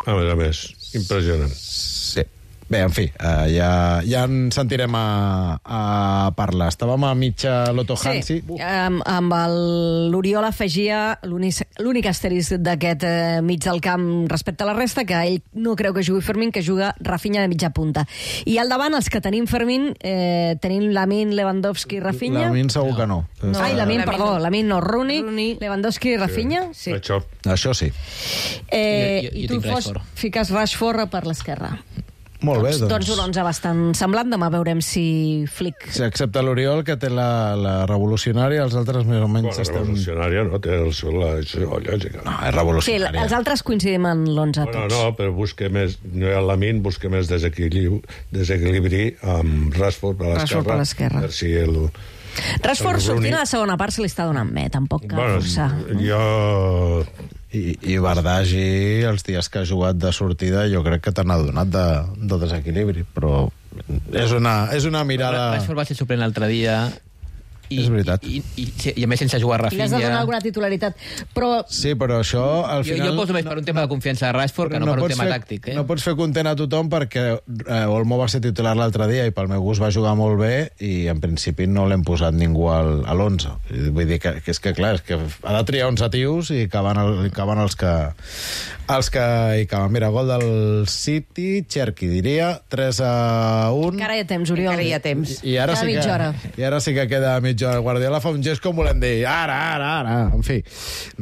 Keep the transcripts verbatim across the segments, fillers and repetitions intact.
a més a més. Impressionant. Sí. Bé, en fi, uh, ja, ja en sentirem a, a parlar. Estàvem a mitja Loto Hansi. Sí, amb, amb l'Oriol afegia l'únic asterisc d'aquest eh, mig del camp respecte a la resta, que ell no creu que jugui Fermín, que juga Rafinha de mitja punta. I al davant, els que tenim Fermín, eh, tenim Lamine, Lewandowski i Rafinha. Lamine segur que no. no. Ai, Lamine, perdó, Lamine no, Rooney, Rooney. Lewandowski i Rafinha. Sí. Això. Això sí. Eh, Jo- jo- jo I tu tinc fos, Rashford. fiques Rashford per l'esquerra. Molt bé, Doncs, doncs. doncs un onze bastant semblant. Demà veurem si Flick... Sí, excepte l'Oriol, que té la, la revolucionària, els altres més o menys Bueno, estem... revolucionària, no? Té el seu, la seva lògica. No, és Sí, revolucionària. els altres coincidim en l'onze Bueno, tots. no, però busca més... No hi ha Lamine, busca més desequilibri, desequilibri amb Rashford per Rashford per l'esquerra. Per si el... Rashford el sortint Rooney- a la segona part se li està donant bé, tampoc cal Bueno, forçar. jo... I, i Bardagi, els dies que ha jugat de sortida, jo crec que te n'ha donat de, de desequilibri, però és una, és una mirada... Rashford va ser suplent l'altre dia... I, És veritat. I, i, i, i a més sense jugar I Rafinha... l'has de donar alguna titularitat. Però Sí, però això al Jo, final... jo poso més per un tema de confiança de Rashford que no, per un pots tema fer, tàctic. Eh? No pots fer content a tothom perquè eh, Olmo va ser titular l'altre dia i pel meu gust va jugar molt bé i en principi no l'hem posat ningú al, a l'onze. Vull dir que, que és que clar, és que ha de triar onze tios i que van, el, que van els que els que hi caben. Mira, gol del City, Cherki, diria, tres a un. encara hi ha temps, Oriol. Encara hi ha temps. I ara, Queda sí que, mitja hora. I ara sí que queda mitja hora. Guardiola fa un gest com volem dir, ara, ara, ara. En fi,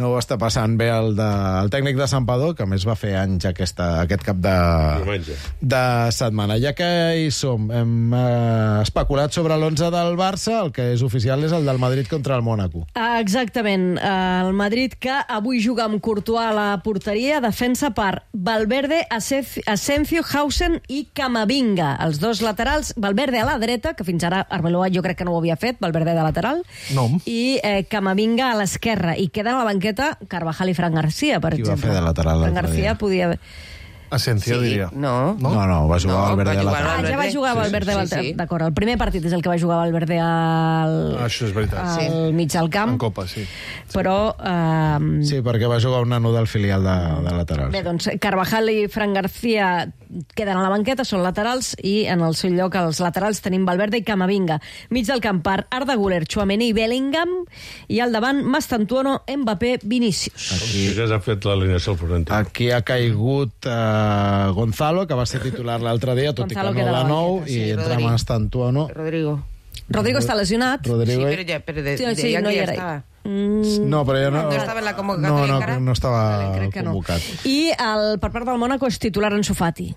no ho està passant bé el, de, el tècnic de Santpedor, que a més va fer anys aquesta, aquest cap de, Diumenge. de setmana. Ja que hi som, hem eh, especulat sobre l'onze del Barça, el que és oficial és el del Madrid contra el Mònaco. Ah, exactament. El Madrid, que avui juga amb Courtois a la porteria, defensa per Valverde, Asensio, Hausen i Camavinga. Els dos laterals, Valverde a la dreta, que fins ara Arbeloa jo crec que no ho havia fet, Valverde de lateral, No. i eh, Camavinga a l'esquerra. I queden a la banqueta Carvajal i Fran García, per Qui va exemple. fer de lateral Fran l'altre García dia? podia... Asensio, Sí, diria. no. No, no, va jugar No, Valverde va de jugar lateral. Ah, ja va Valverde. jugar Sí, Valverde sí, al sí, sí. D'acord, el primer partit és el que va jugar Valverde al, Això és veritat. al Sí. mig del camp. En Copa, sí. Però... Eh, Sí, perquè va jugar un nano del filial de, de lateral. Bé, doncs Carvajal i Fran García queden a la banqueta, són laterals, i en el seu lloc els laterals tenim Valverde i Camavinga. Mig del camp per Arda Güler, Tchouaméni i Bellingham, i al davant Mastantuono, Mbappé, Vinícius. Com si ja s'ha fet l'alineació al Florentino. Aquí ha caigut eh, Gonzalo, que va ser titular l'altre dia, tot Gonzalo i que queda no a la de nou, banqueta, i sí, entra Rodrigo. Mastantuono. Rodrigo. Rodrigo està lesionat. Rodrigo... Sí, però ja, però de, Sí, de, sí, ja no que hi ja era. estava. Mm, No, però ja no... No estava en la convocatòria no, no, encara? no estava vale, crec que no. convocat. I el, per part del Mònaco és titular en Sofati.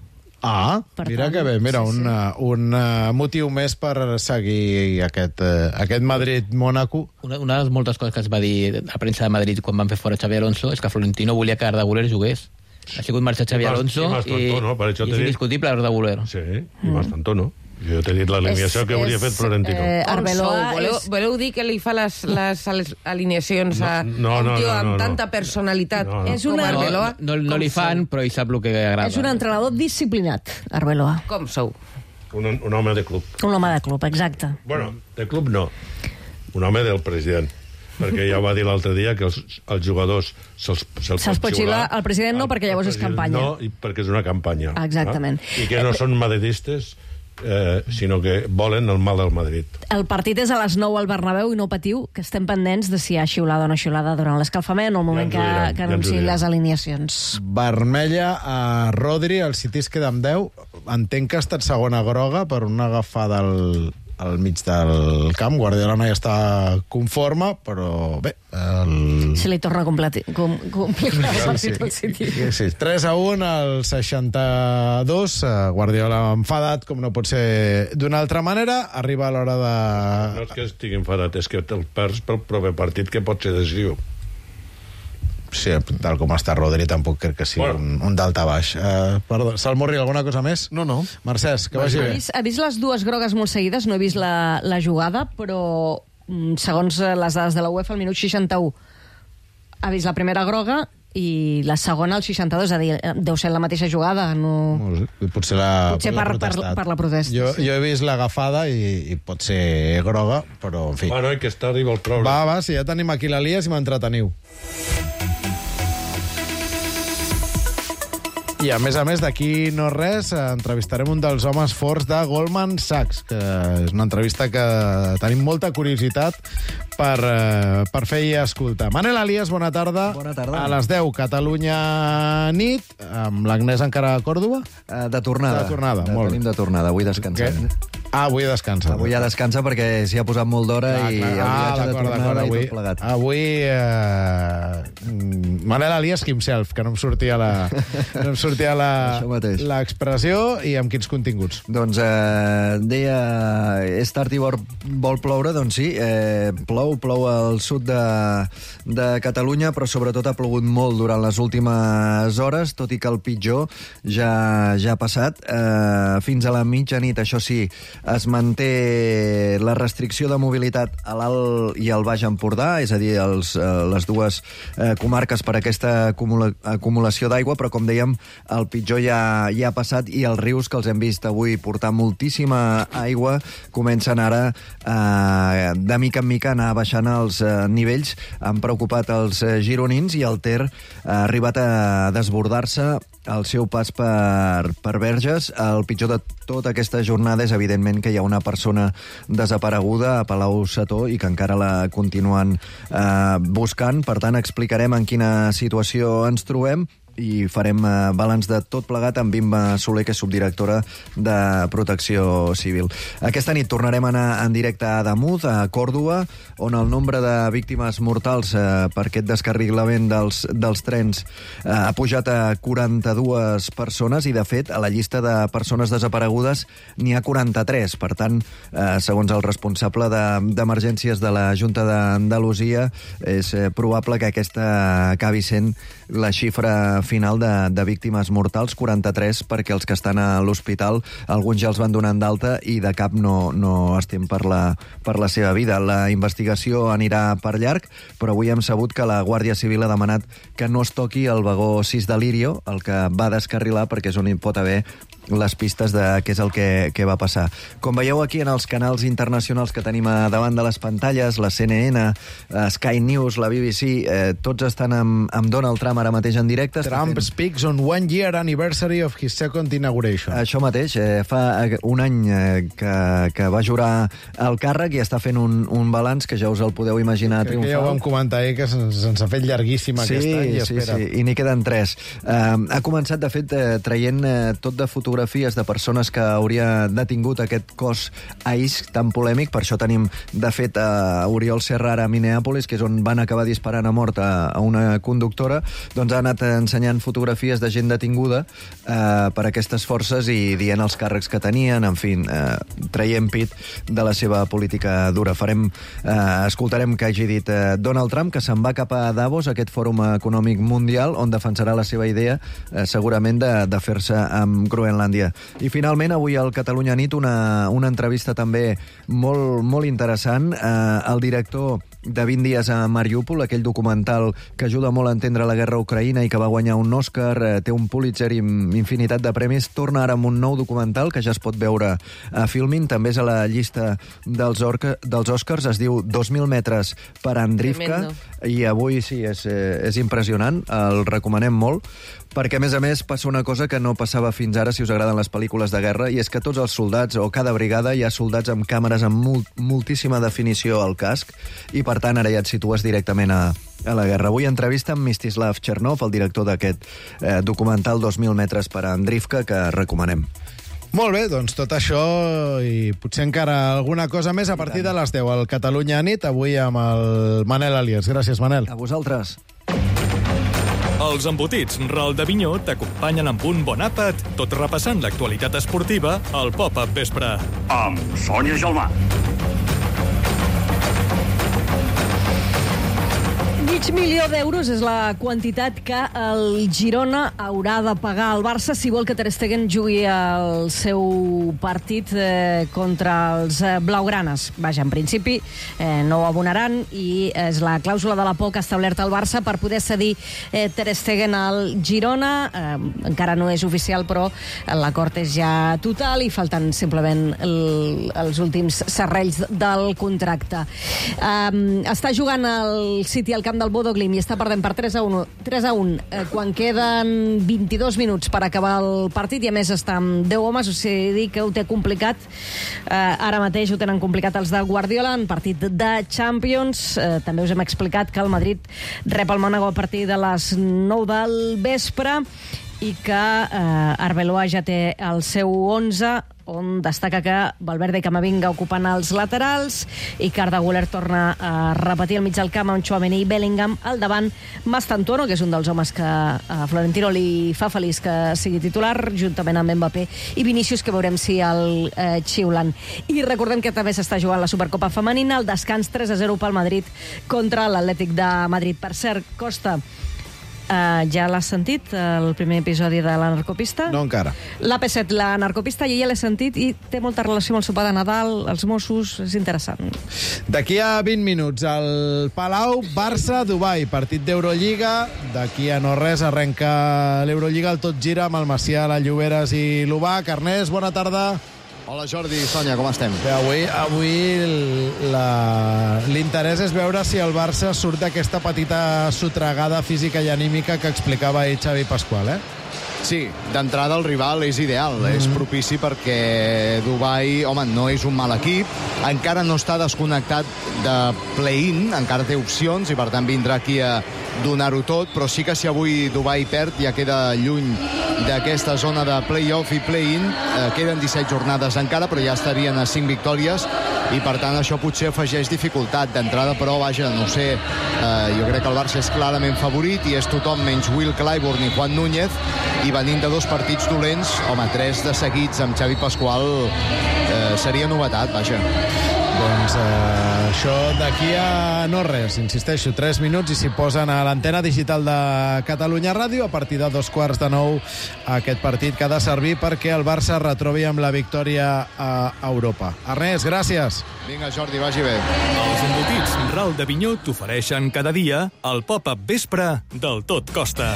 Ah, Per mira tant, que bé. Mira, sí, un, sí. uh, un uh, motiu més per seguir aquest, uh, aquest Madrid-Mónaco. Una, una de les moltes coses que es va dir a premsa de Madrid quan van fer fora Xavi Alonso és que Florentino volia que Arda Güler jugués. Ha sigut marxar Xavi I Mas- Alonso i Mastantuono, per això i t'he és dit. indiscutible Arda Güler. Sí, i Mastantuono. Jo t'he dit l'alineació que hauria fet Florentino. Eh, Com Arbeloa sou? Voleu, és... voleu dir que li fa les, les, les alineacions a No, no, un no, tio no, amb no, no. tanta personalitat No, no. És com una- No, Arbeloa? no, no li Com fan, però ell sap el que agrada. És un entrenador disciplinat, Arbeloa. sou? Com sou? Un, un home de club. Un home de club, exacte. Bueno, de club no. Un home del president. Perquè ja va dir l'altre dia que els, els jugadors se'ls se Se'ls pot xiular, el president no, El- perquè llavors el és president campanya. No, i perquè és una campanya. Exactament. Ah? I que no són madridistes, eh, sinó que volen el mal del Madrid. El partit és a les nou al Bernabéu i no patiu, que estem pendents de si hi ha xiulada o no xiulada durant l'escalfament o el moment Ja ens ho que, diran, que ja ens ho anunciïn diran. les alineacions. Vermella a Rodri, el City es queda amb deu. Entenc que ha estat segona groga per una agafada al, al mig del camp. Guardiola no hi està conforme, però bé... El... Se li torna completi, com, complicat el Sí, partit al City. sí, sí. tres a un al seixanta-dos. eh, Guardiola enfadat, com no pot ser d'una altra manera. Arriba a l'hora No de... és que estigui enfadat, és que te'l perds pel proper partit que pot ser decisiu. Sí, tal com està Rodri, tampoc crec que sigui Bueno. un, un d'alta baix. Uh, perdó, Salmurri, alguna cosa més? No, no. Mercès, que vagi He bé. vist, he vist les dues grogues molt seguides, no he vist la, la jugada, però mm, segons eh, les dades de la UEFA, al minut seixanta-u ha vist la primera groga i la segona al seixanta-dos, és a dir, eh, deu ser la mateixa jugada. No... No ho sé, potser la, Potser la per- per- protestat. per la protesta, Jo, sí. jo he vist l'agafada i, i pot ser groga, però en fi. Bueno, i que està arriba el problema. Va, va, si ja tenim aquí l'Elias i m'entreteniu. I a més a més, d'aquí no res, entrevistarem un dels homes forts de Goldman Sachs, que és una entrevista que tenim molta curiositat per, eh, per fer i escoltar. Manel Alias, bona tarda. Bona tarda. A les deu, Catalunya nit, amb l'Agnès encara a Còrdova? Uh, de tornada. De tornada, de, molt Tenim bé. de tornada, avui descansem. Què? Ah, avui descansa. Avui ja descansa perquè s'hi ha posat molt d'hora i el viatge de tornada i tot plegat. Avui, eh, Manel Alias himself, que no em sortia la, no em sortia la, l'expressió, i amb quins continguts? Doncs eh, deia, és tard i vol, vol ploure, doncs sí, eh, plou, plou al sud de, de Catalunya, però sobretot ha plogut molt durant les últimes hores, tot i que el pitjor ja, ja ha passat. Eh, fins a la mitjanit, això sí, es manté la restricció de mobilitat a l'Alt i al Baix Empordà, és a dir, els, eh, les dues eh, comarques per aquesta acumula acumulació d'aigua, però com dèiem, el pitjor ja, ja ha passat i els rius que els hem vist avui portar moltíssima aigua comencen ara eh, de mica en mica a anar baixant els eh, nivells. Han preocupat els eh, gironins i el Ter ha arribat a desbordar-se al seu pas per, per Verges. El pitjor de tota aquesta jornada és, evidentment, que hi ha una persona desapareguda a Palau-Setó i que encara la continuen eh, buscant. Per tant, explicarem en quina situació ens trobem i farem eh, balanç de tot plegat amb Bimba Soler, que és subdirectora de Protecció Civil. Aquesta nit tornarem a anar en directe a Ademuz, a Còrdova, on el nombre de víctimes mortals eh, per aquest descarrilament dels, dels trens eh, ha pujat a quaranta-dues persones i, de fet, a la llista de persones desaparegudes n'hi ha quaranta-tres. Per tant, eh, segons el responsable d'emergències de, de la Junta d'Andalusia, és eh, probable que aquesta acabi sent la xifra final de, de víctimes mortals, quaranta-tres, perquè els que estan a l'hospital, alguns ja els van donant d'alta i de cap no, no estem per la, per la seva vida. La investigació anirà per llarg, però avui hem sabut que la Guàrdia Civil ha demanat que no es toqui el vagó sis de Lirio, el que va descarrilar, perquè és on hi pot haver les pistes de què és el que, que va passar. Com veieu aquí en els canals internacionals que tenim a davant de les pantalles, la C N N, Sky News, la B B C, eh, tots estan amb, amb Donald Trump ara mateix en directe. Trump fent... speaks on one year anniversary of his second inauguration. Això mateix, eh, fa un any eh, que, que va jurar el càrrec i està fent un, un balanç que ja us el podeu imaginar Crec triomfal. que ja ho vam comentar, eh, que se'ns se ha fet llarguíssim sí, aquest any. I sí, espera. sí, i n'hi queden tres. Eh, ha començat, de fet, eh, traient eh, tot de fotografies de persones que hauria detingut aquest cos ahís tan polèmic. Per això tenim, de fet, a Oriol Serrara a Minneapolis, que és on van acabar disparant a mort a, a una conductora. Doncs ha anat ensenyant fotografies de gent detinguda eh, per aquestes forces i dient els càrrecs que tenien, en fi, eh, traient pit de la seva política dura. Farem, eh, escoltarem que hagi dit eh, Donald Trump, que se'n va cap a Davos, aquest fòrum econòmic mundial, on defensarà la seva idea, eh, segurament, de, de fer-se amb Groenlàndia. I finalment, avui al Catalunya Nit, una, una entrevista també molt, molt interessant. Eh, el director de vint dies a Mariúpol, aquell documental que ajuda molt a entendre la guerra a Ucraïna i que va guanyar un Òscar, eh, té un Pulitzer i infinitat de premis, torna ara amb un nou documental que ja es pot veure a Filmin, també és a la llista dels, orca, dels Òscars, es diu dos mil metres per Andrivka, i avui sí, és, és impressionant, el recomanem molt, perquè, a més a més, passa una cosa que no passava fins ara, si us agraden les pel·lícules de guerra, i és que tots els soldats, o cada brigada, hi ha soldats amb càmeres amb molt, moltíssima definició al casc, i per tant ara ja et situes directament a, a la guerra. Avui entrevista amb Mstislav Chernov, el director d'aquest eh, documental dos mil metres per Andrivka, que recomanem. Molt bé, doncs tot això i potser encara alguna cosa més a partir de les deu al Catalunya Nit, avui amb el Manel Alias. Gràcies, Manel. A vosaltres. Els embotits Ral de Vinyó t'acompanyen amb un bon àpat, tot repassant l'actualitat esportiva al Pop-Up Vespre. Amb Sònia Gelmà. Mig milió d'euros és la quantitat que el Girona haurà de pagar al Barça si vol que Ter Stegen jugui el seu partit eh, contra els eh, blaugranes. Vaja, en principi eh, no ho abonaran i és la clàusula de la por que ha establert el Barça per poder cedir eh, Ter Stegen al Girona. Eh, encara no és oficial, però l'acord és ja total i falten simplement el, els últims serrells del contracte. Eh, està jugant el City al camp de del Bodo Glimt i està perdent per tres a un, tres a un eh, quan queden vint-i-dos minuts per acabar el partit i a més està amb deu homes, o sigui que ho té complicat. Eh, ara mateix ho tenen complicat els de Guardiola en partit de Champions. Eh, també us hem explicat que el Madrid rep el Mònaco a partir de les nou del vespre i que eh, Arbeloa ja té el seu onze, on destaca que Valverde i Camavinga ocupant els laterals i que Arda Güler torna a repetir el mig del camp amb Tchouaméni i Bellingham al davant. Mastantuono, que és un dels homes que a Florentino li fa feliç que sigui titular, juntament amb Mbappé i Vinícius, que veurem si el eh, xiulen. I recordem que també s'està jugant la Supercopa femenina, el descans tres a zero pel Madrid contra l'Atlètic de Madrid. Per cert, Costa, Uh, ja l'has sentit, el primer episodi de La Narcopista? No encara. L'A P set, La Narcopista, jo ja l'he sentit i té molta relació amb el sopar de Nadal, els Mossos, és interessant. D'aquí a vint minuts, al Palau, Barça-Dubai, partit d'Eurolliga. D'aquí a no res arrenca l'Eurolliga, el Tot Gira amb el Macià, la Lloberes i l'Ubac. Ernest, bona tarda. Hola Jordi, Sònia, com estem? Bé, avui avui la... l'interès és veure si el Barça surt d'aquesta petita sotregada física i anímica que explicava ahir Xavi Pasqual, eh? Sí, d'entrada el rival és ideal, mm. és propici perquè Dubai, home, no és un mal equip, encara no està desconnectat de play-in, encara té opcions i per tant vindrà aquí a donar-ho tot, però sí que si avui Dubai perd ja queda lluny d'aquesta zona de play-off i play-in, eh, queden disset jornades encara, però ja estarien a cinc victòries i per tant això potser afegeix dificultat d'entrada, però vaja, no sé, eh, jo crec que el Barça és clarament favorit i és tothom menys Will Clyburn i Juan Núñez, i venint de dos partits dolents, home, tres de seguits amb Xavi Pasqual eh, seria novetat, vaja. Doncs eh, això d'aquí a no res, insisteixo, tres minuts i s'hi posen a l'antena digital de Catalunya Ràdio a partir de dos quarts de nou aquest partit que ha de servir perquè el Barça retrobi amb la victòria a Europa. Ernest, gràcies. Vinga, Jordi, vagi bé. Els embotits Ral de Vinyó t'ofereixen cada dia el pop-up vespre del Tot Costa.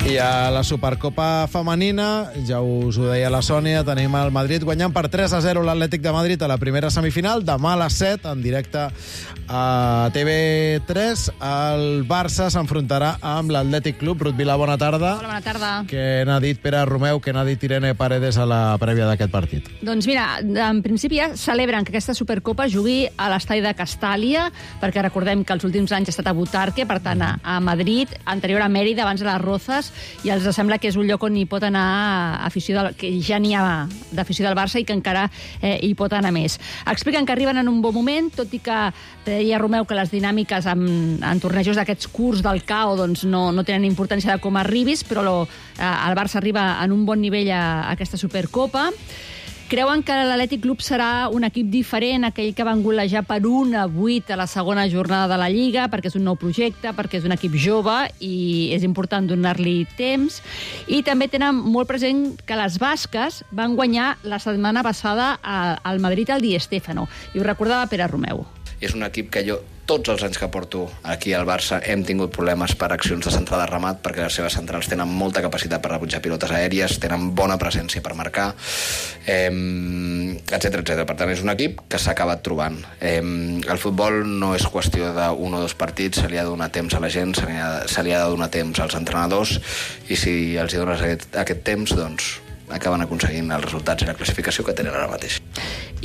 I a la Supercopa femenina, ja us ho deia la Sònia, tenim el Madrid guanyant per tres a zero l'Atlètic de Madrid a la primera semifinal. Demà a les set, en directe a T V tres, el Barça s'enfrontarà amb l'Atlètic Club. Ruth Vilà, bona tarda. Hola, bona tarda. Què n'ha dit Pere Romeu, què n'ha dit Irene Paredes a la prèvia d'aquest partit? Doncs mira, en principi ja celebren que aquesta Supercopa jugui a l'estadi de Castàlia, perquè recordem que els últims anys ha estat a Butarque, per tant a, a Madrid, anterior a Mèrida, abans a les Rozas, i els sembla que és un lloc on hi pot anar afició del, que ja n'hi ha d'afició del Barça i que encara eh, hi pot anar més. Expliquen que arriben en un bon moment, tot i que deia Romeu que les dinàmiques en, en tornejos d'aquests curts del C A O doncs no, no tenen importància de com arribis, però lo, eh, el Barça arriba en un bon nivell a, a aquesta Supercopa. Creuen que l'Atlètic Club serà un equip diferent, aquell que van golejar per un a vuit a la segona jornada de la Lliga, perquè és un nou projecte, perquè és un equip jove i és important donar-li temps. I també tenen molt present que les basques van guanyar la setmana passada al Madrid al Di Stéfano. I ho recordava Pere Romeu. És un equip que jo, tots els anys que porto aquí al Barça, hem tingut problemes per accions de centrada de remat, perquè les seves centrals tenen molta capacitat per rebutjar pilotes aèries, tenen bona presència per marcar, eh, etcètera, etcètera. Per tant, és un equip que s'ha acabat trobant. Eh, el futbol no és qüestió d'un o dos partits, se li ha de donar temps a la gent, se li ha, se li ha de donar temps als entrenadors, i si els hi dones aquest, aquest temps, doncs acaben aconseguint els resultats i la classificació que tenen ara mateix.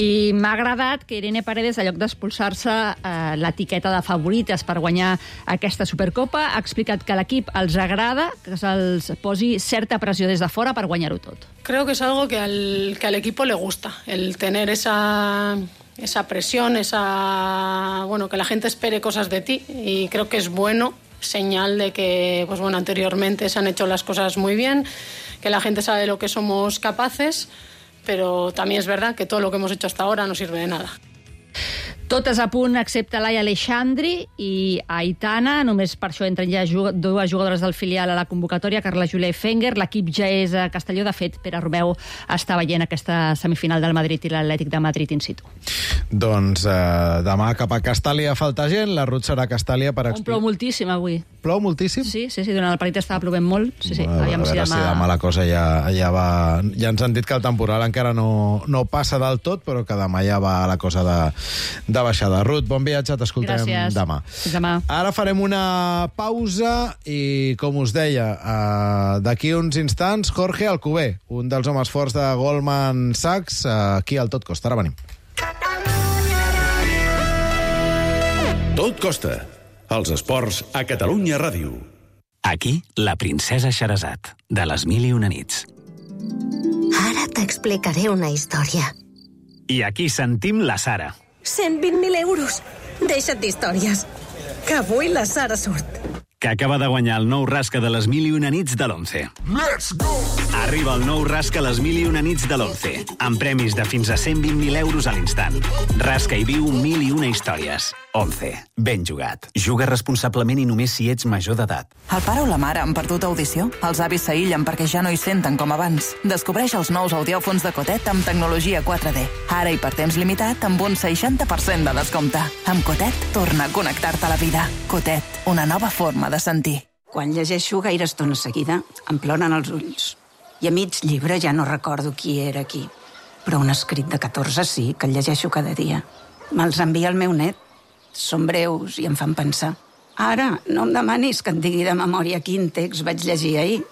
I m'ha agradat que Irene Paredes, en lloc d'expulsar-se eh, l'etiqueta de favorites per guanyar aquesta Supercopa, ha explicat que l'equip els agrada, que se'ls posi certa pressió des de fora per guanyar-ho tot. Creo que es algo que al, que al equipo le gusta, el tener esa, esa presión, esa, bueno, que la gente espere cosas de ti, y creo que es bueno, señal de que, pues bueno, anteriormente se han hecho las cosas muy bien, que la gente sabe de lo que somos capaces, pero también es verdad que todo lo que hemos hecho hasta ahora no sirve de nada. Totes a punt, excepte Laia Aleixandri i Aitana. Només per això entren ja dues jugadores del filial a la convocatòria, Carla Júlia i Fenger. L'equip ja és a Castelló. De fet, Pere Romeu està veient aquesta semifinal del Madrid i l'Atlètic de Madrid in situ. Doncs eh, demà cap a Castàlia falta gent. La Ruth serà a Castàlia per... On plou moltíssim avui. Plou moltíssim? Sí, sí, sí, durant el partit estava plovent molt. Sí, sí, A veure, aviam a si veure demà... si demà la cosa ja, ja va... Ja ens han dit que el temporal encara no, no passa del tot, però que demà ja va la cosa de, de baixada. Ruth, bon viatge, t'escoltem Gràcies. demà. Fins demà. Ara farem una pausa i, com us deia, eh, d'aquí uns instants, Jorge Alcover, un dels homes forts de Goldman Sachs, eh, aquí al Tot Costa. Ara venim. Tot Costa. Els esports a Catalunya Ràdio. Aquí, la princesa Xerazat, de les mil i una nits. Ara t'explicaré una història. I aquí sentim la Sara. cent vint mil euros. Deixa't d'històries. Que avui la Sara surt. Que acaba de guanyar el nou rasca de les mil i una nits de l'Once. Let's go! Arriba el nou rasca les mil i una nits de l'Once, amb premis de fins a cent vint mil euros a l'instant. Rasca i viu mil i una històries. Once. Ben jugat. Juga responsablement i només si ets major d'edat. El pare o la mare han perdut audició? Els avis s'aïllen perquè ja no hi senten com abans. Descobreix els nous audiòfons de Cotet amb tecnologia quatre D. Ara i per temps limitat amb un seixanta per cent de descompte. Amb Cotet, torna a connectar-te a la vida. Cotet, una nova forma de sentir. Quan llegeixo gaire estona seguida, em ploren els ulls. I a mig llibre ja no recordo qui era qui. Però un escrit de catorze sí, que el llegeixo cada dia. Me'ls envia el meu net. Són breus i em fan pensar. Ara, no em demanis que et digui de memòria quin text vaig llegir ahir.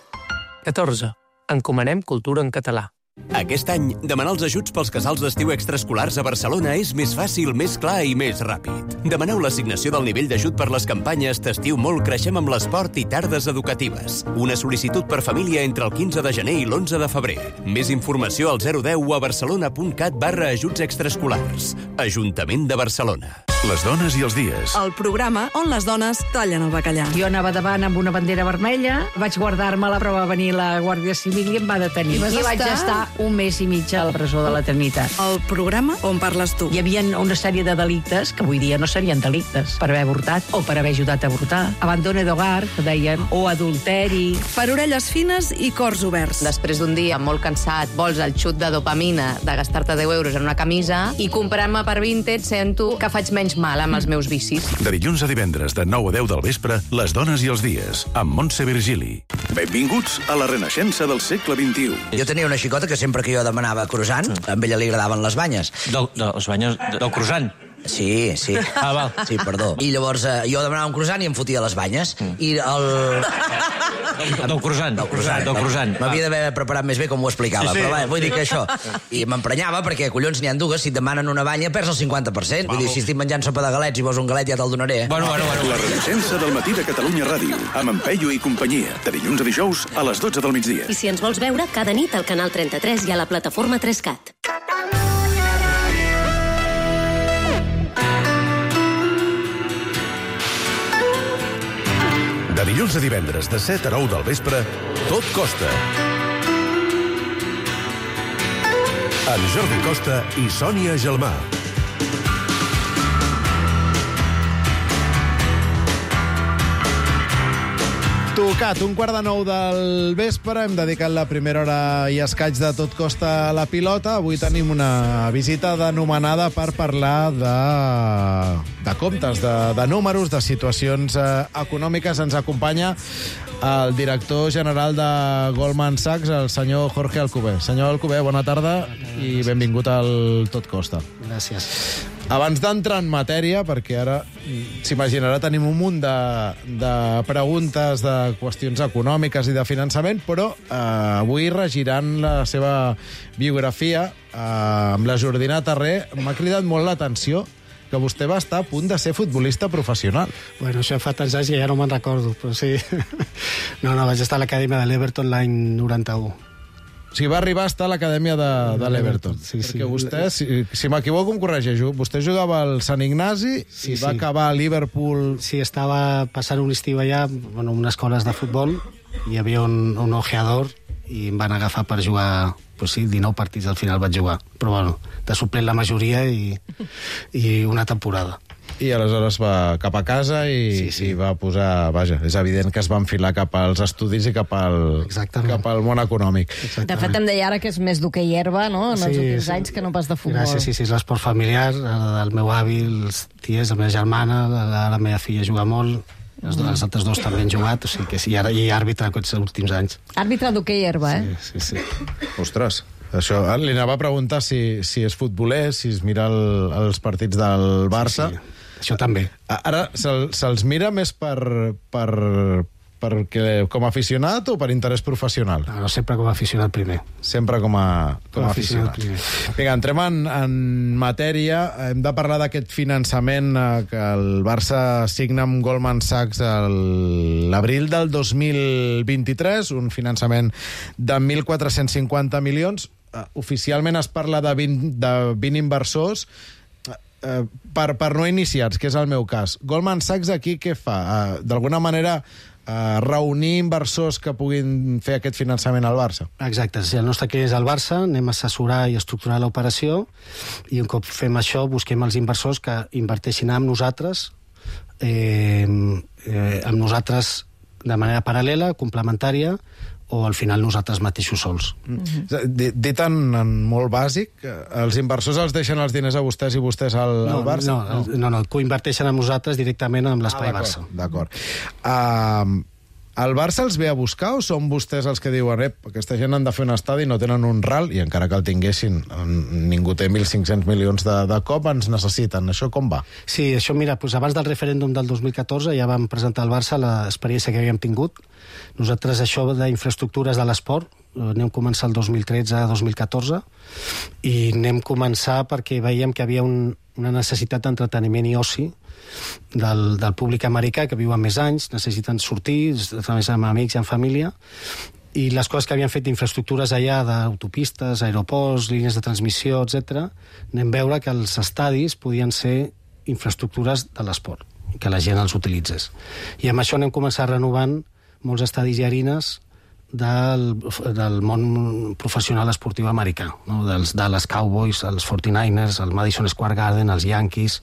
catorze. Encomanem cultura en català. Aquest any, demanar els ajuts pels casals d'estiu extraescolars a Barcelona és més fàcil, més clar i més ràpid. Demaneu l'assignació del nivell d'ajut per les campanyes T'estiu molt, creixem amb l'esport i tardes educatives. Una sol·licitud per família entre el quinze de gener i l'onze de febrer. Més informació al zero deu o a barcelona.cat barra ajuts extraescolars. Ajuntament de Barcelona. Les dones i els dies. El programa on les dones tallen el bacallà. Jo anava davant amb una bandera vermella, vaig guardar-me-la, però va venir la Guàrdia Civil i em va detenir. I, I vaig estar... estar un mes i mig a la presó de l'eternitat. El programa on parles tu. Hi havia una sèrie de delictes que avui dia no serien delictes, per haver avortat o per haver ajudat a avortar. Abandone d'hogar, que deien, o adulteri. Per orelles fines i cors oberts. Després d'un dia molt cansat, vols el xut de dopamina de gastar-te deu euros en una camisa i comprant-me per Vinted sento que faig menys mal amb els meus vicis. De dilluns a divendres, de nou a deu del vespre, Les dones i els dies, amb Montse Virgili. Benvinguts a la renaixença del segle vint-i-u. Jo tenia una xicota que sempre que jo demanava croissant, a ella li agradaven les banyes. Del, de, les banyes del croissant? Sí, sí. Ah, val. Sí, perdó. I llavors eh, jo demanava un croissant i em fotia les banyes. Mm. I el... Del croissant. Del croissant. Del croissant. M'havia d'haver preparat més bé com ho explicava, sí, sí. Però va, vull dir que això... I m'emprenyava perquè, collons, n'hi ha dues, si et demanen una banya perds el cinquanta per cent. Vull dir, si estic menjant sopa de galets i vols un galet ja te'l donaré. Bueno, bueno, bueno. La renaixença del matí de Catalunya Ràdio, amb en Peyu i companyia, de dilluns a dijous a les dotze del migdia. I si ens vols veure, cada nit al canal trenta-tres i a la plataforma tres cat. De dilluns a divendres, de set a nou del vespre, Tot Costa. Amb Jordi Costa i Sònia Gelmà. Tocat, un quart de nou del vespre, hem dedicat la primera hora i escaig de Tot Costa a la pilota. Avui tenim una visita d'anomenada per parlar de, de comptes, de, de números, de situacions eh, econòmiques. Ens acompanya el director general de Goldman Sachs, el senyor Jorge Alcover. Senyor Alcover, bona tarda i benvingut al Tot Costa. Gràcies. Abans d'entrar en matèria, perquè ara s'imaginarà tenim un munt de, de preguntes, de qüestions econòmiques i de finançament, però eh, avui regiran la seva biografia eh, amb la Jordina Tarré. M'ha cridat molt l'atenció que vostè va estar a punt de ser futbolista professional. Bueno, això fa tants anys que ja no me'n recordo, però sí. No, no, vaig estar a l'acadèmia de l'Everton l'any noranta-u. O sigui, va arribar a estar a l'acadèmia de, de l'Everton. Sí, sí. Perquè vostè, si, si m'equivoco, em corregeixo, vostè jugava al Sant Ignasi sí, i va sí. acabar a Liverpool... Sí, estava passant un estiu allà, bueno, unes escoles de futbol, hi havia un, un ojeador i em van agafar per jugar, pues sí, dinou partits al final vaig jugar, però bueno, de suplent la majoria i, i una temporada. I aleshores va cap a casa i, sí, sí. i va posar... Vaja, és evident que es va enfilar cap als estudis i cap al, cap al món econòmic. Exactament. De fet, em deia ara que és més d'hoquei i herba, no?, en sí, els últims sí. anys, que no pas de futbol. Gràcies, sí, sí, és l'esport familiar, el meu avi, els ties, la meva germana, la, la meva filla juga molt... Els, mm. els altres dos també han jugat, o sigui que sí, ara hi ha àrbitre aquests últims anys. Àrbitre d'hoquei herba, eh? Sí, sí, sí. Ostres, això, li anava a preguntar si, si és futboler, si es mira el, els partits del Barça. Sí, sí. Això també. Ara, se'ls se mira més per, per, per, com a aficionat o per interès professional? No, no, sempre com a aficionat primer. Sempre com a, com com a aficionat. aficionat. Vinga, entrem en, en matèria. Hem de parlar d'aquest finançament eh, que el Barça signa amb Goldman Sachs l'abril del dos mil vint-i-tres, un finançament de mil quatre-cents cinquanta milions. Uh, oficialment es parla de vint, de vint inversors uh, per, per no iniciats, que és el meu cas. Goldman Sachs aquí què fa? Uh, D'alguna manera uh, reunir inversors que puguin fer aquest finançament al Barça? Exacte, si el nostre client és el Barça, anem a assessorar i estructurar l'operació i un cop fem això busquem els inversors que inverteixin amb nosaltres eh, eh, amb nosaltres de manera paral·lela, complementària, o al final nosaltres mateixos sols. Mm-hmm. Dit en, en molt bàsic, els inversors els deixen els diners a vostès i vostès al, no, al Barça? No, no, no, no coinverteixen amb nosaltres directament amb l'espai ah, Barça. D'acord. Uh, el Barça els ve a buscar o són vostès els que diuen ep, aquesta gent han de fer un estadi i no tenen un ral i encara que el tinguessin, ningú té mil cinc-cents milions de, de cop, ens necessiten. Això com va? Sí, això mira, doncs abans del referèndum del dos mil catorze ja vam presentar al Barça l'experiència que havíem tingut. Nosaltres això d'infraestructures de l'esport anem començar el dos mil tretze dos mil catorze i anem començar perquè veiem que havia un, una necessitat d'entreteniment i oci del, del públic americà que viuen més anys, necessiten sortir, estar més amb amics i amb família, i les coses que havien fet d'infraestructures allà, d'autopistes, aeroports, línies de transmissió, etcètera, anem a veure que els estadis podien ser infraestructures de l'esport, que la gent els utilitzés. I amb això anem a començar renovant molts estadis i arines del, del món professional esportiu americà, no? Dels Dallas Cowboys, els forty-niners, el Madison Square Garden, els Yankees,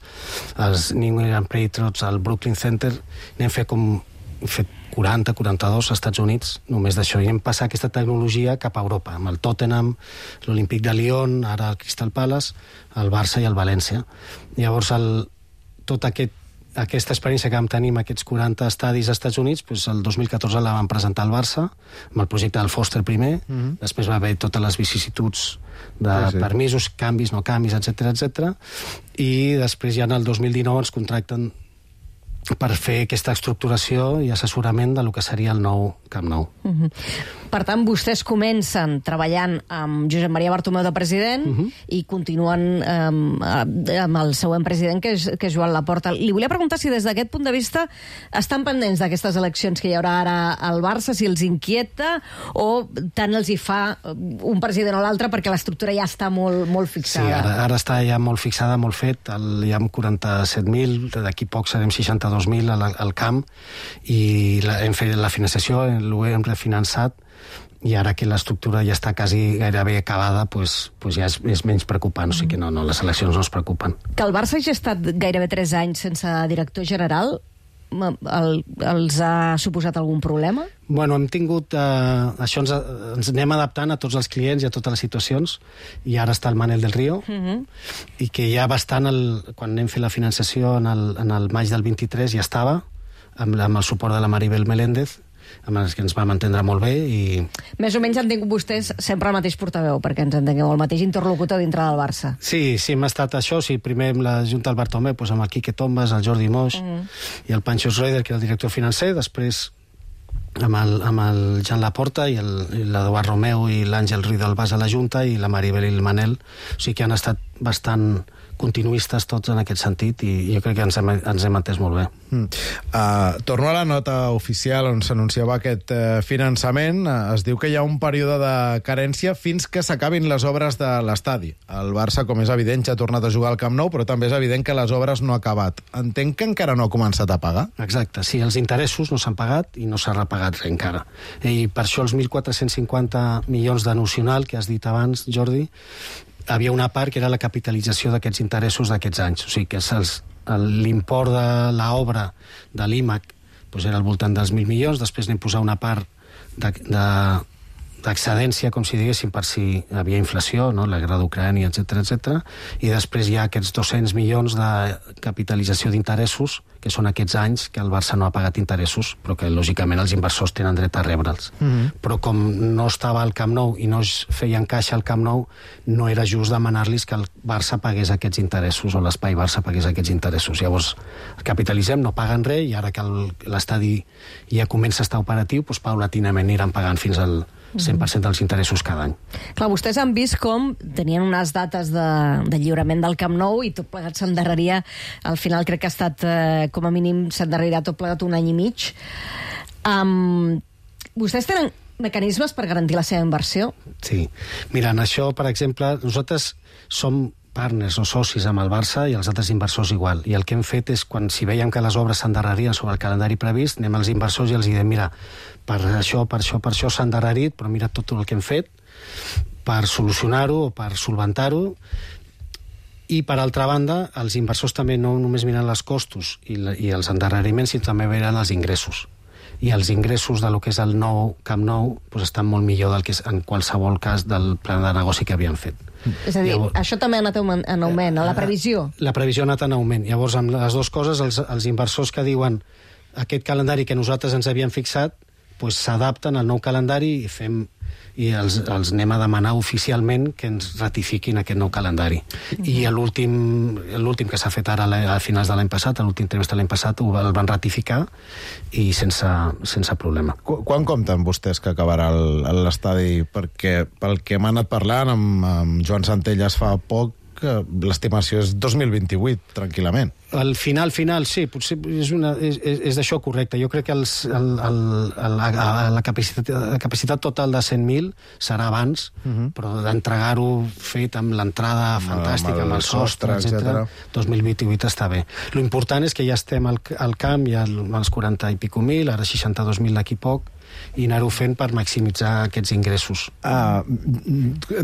els New England Patriots, el Brooklyn Center. N'hem fet com hem fet quaranta quaranta-dos als Estats Units, només d'això. I hem passat aquesta tecnologia cap a Europa, amb el Tottenham, l'Olímpic de Lyon, ara el Crystal Palace, el Barça i el València. Llavors, el, tot aquest aquesta experiència que vam tenir amb aquests quaranta estadis als Estats Units, doncs el dos mil catorze la vam presentar al Barça, amb el projecte del Foster primer, mm-hmm. Després va haver totes les vicissituds de sí, sí. permisos, canvis, no canvis, etcètera, etcètera, i després ja en el dos mil dinou ens contracten per fer aquesta estructuració i assessorament de lo que seria el nou Camp Nou. Uh-huh. Per tant, vostès comencen treballant amb Josep Maria Bartomeu de president uh-huh. i continuen um, amb el següent president, que és, que és Joan Laporta. Li volia preguntar si des d'aquest punt de vista estan pendents d'aquestes eleccions que hi haurà ara al Barça, si els inquieta o tant els hi fa un president o l'altre perquè l'estructura ja està molt, molt fixada. Sí, ara, ara està ja molt fixada, molt fet. El, hi ha quaranta-set mil, d'aquí poc serem seixanta-dos mil al, al camp, i la, hem fet la financiació, l'ho hem refinançat, i ara que l'estructura ja està quasi gairebé acabada, pues, pues ja és, és menys preocupant, o sigui que no, no, les eleccions no es preocupen. Que el Barça hagi estat gairebé tres anys sense director general, el, els ha suposat algun problema? Bueno, hem tingut... Eh, això ens, ens anem adaptant a tots els clients i a totes les situacions, i ara està el Manel del Río, uh-huh. i que ja bastant, el, quan hem fet la financiació en el, en el maig del vint-i-tres ja estava, amb, amb el suport de la Maribel Meléndez, amb els que ens vam entendre molt bé. I... Més o menys han tingut vostès sempre el mateix portaveu, perquè ens entengueu, el mateix interlocutor dintre del Barça. Sí, sí, hem estat això. Sí, primer amb la Junta del Bartomeu, doncs amb el Quique Tombas, el Jordi Moix uh-huh. i el Pancho Schroeder, que era el director financer, després amb el, amb el Jan Laporta i l'Eduard Romeu i l'Àngel Ruiz del Bas a la Junta, i la Maribel i el Manel. O sigui que han estat bastant continuistes tots en aquest sentit, i jo crec que ens hem, ens hem entès molt bé. Mm. Uh, torno a la nota oficial on s'anunciava aquest uh, finançament. Uh, es diu que hi ha un període de carència fins que s'acabin les obres de l'estadi. El Barça, com és evident, ja ha tornat a jugar al Camp Nou, però també és evident que les obres no han acabat. Entenc que encara no ha començat a pagar? Exacte, sí, els interessos no s'han pagat i no s'ha repagat res encara. I per això els mil quatre-cents cinquanta milions de nocional que has dit abans, Jordi, havia una part que era la capitalització d'aquests interessos d'aquests anys. O sigui que l'import de l'obra de l'I M A C doncs era al voltant dels mil milions, després n'hem posat una part de, de, d'excedència, com si diguéssim, per si hi havia inflació, no? La guerra d'Ucrània, etcètera, etcètera, i després hi ha aquests dos-cents milions de capitalització d'interessos, que són aquests anys que el Barça no ha pagat interessos, però que, lògicament, els inversors tenen dret a rebre'ls. Mm-hmm. Però com no estava al Camp Nou i no es feien caixa al Camp Nou, no era just demanar-los que el Barça pagués aquests interessos, o l'espai Barça pagués aquests interessos. Llavors, capitalitzem, no paguen res, i ara que l'estadi ja comença a estar operatiu, doncs, paulatinament aniran pagant fins al cent per cent dels interessos cada any. Clar, vostès han vist com tenien unes dates de, de lliurament del Camp Nou i tot plegat s'endarreria, al final crec que ha estat, eh, com a mínim, s'endarrerirà tot plegat un any i mig. Um, vostès tenen mecanismes per garantir la seva inversió? Sí. Mira, en això, per exemple, nosaltres som partners o socis amb el Barça i els altres inversors igual. I el que hem fet és, quan si veiem que les obres s'endarrerien sobre el calendari previst, anem als inversors i els diem, mira, per això, per això, per això s'ha endarrerit, però mira tot el que hem fet per solucionar-ho o per solventar-ho. I, per altra banda, els inversors també no només miren els costos i, la, i els endarreriments, sinó també miren els ingressos. I els ingressos de lo que és el nou Camp Nou doncs estan molt millor del que és en qualsevol cas del plan de negoci que havien fet. És a dir, Llavors, això també ha anat en augment, a la previsió? La previsió ha anat en augment. Llavors, amb les dues coses, els, els inversors que diuen aquest calendari que nosaltres ens havíem fixat, doncs s'adapten al nou calendari i fem i els, els anem a demanar oficialment que ens ratifiquin aquest nou calendari. Mm-hmm. I l'últim que s'ha fet ara a finals de l'any passat, l'últim trimestre de l'any passat, el van ratificar i sense, sense problema. Qu Quan compten vostès que acabarà l'estadi? Perquè pel que m'ha anat parlant amb, amb Joan Centelles fa poc, l'estimació és dos mil vint-i-vuit, tranquil·lament. Al final, final, sí, potser és, una, és, és d'això correcte. Jo crec que els, el, el, el, la, la, capacitat, la capacitat total de cent mil serà abans, uh-huh. però d'entregar-ho fet amb l'entrada fantàstica, amb el, amb el sostre, etcètera, dos mil vint-i-vuit està bé. L'important és que ja estem al, al camp, ja als quaranta i pico mil, ara seixanta-dos mil d'aquí poc, i anar-ho fent per maximitzar aquests ingressos. Ah,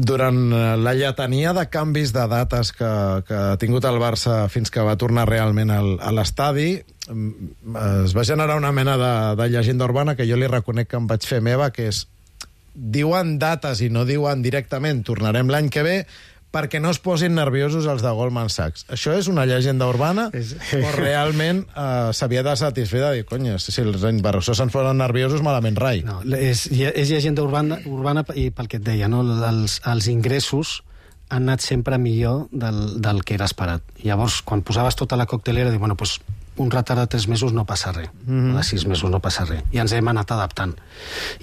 durant la lletania de canvis de dates que, que ha tingut el Barça fins que va tornar realment al, a l'estadi, es va generar una mena de, de llegenda urbana que jo li reconec que em vaig fer meva, que és, diuen dates i no diuen directament tornarem l'any que ve, perquè no es posin nerviosos els de Goldman Sachs. Això és una llegenda urbana o realment eh, s'havia de satisfer de dir, conya, si els inversors se'ns posen nerviosos, malament rai. No, és, és llegenda urbana, urbana i pel que et deia, no? els, els ingressos han anat sempre millor del, del que era esperat. Llavors, quan posaves tota la coctelera, dius, bueno, pues, un retard de tres mesos no passa res, mm. de sis mesos no passa res, i ens hem anat adaptant.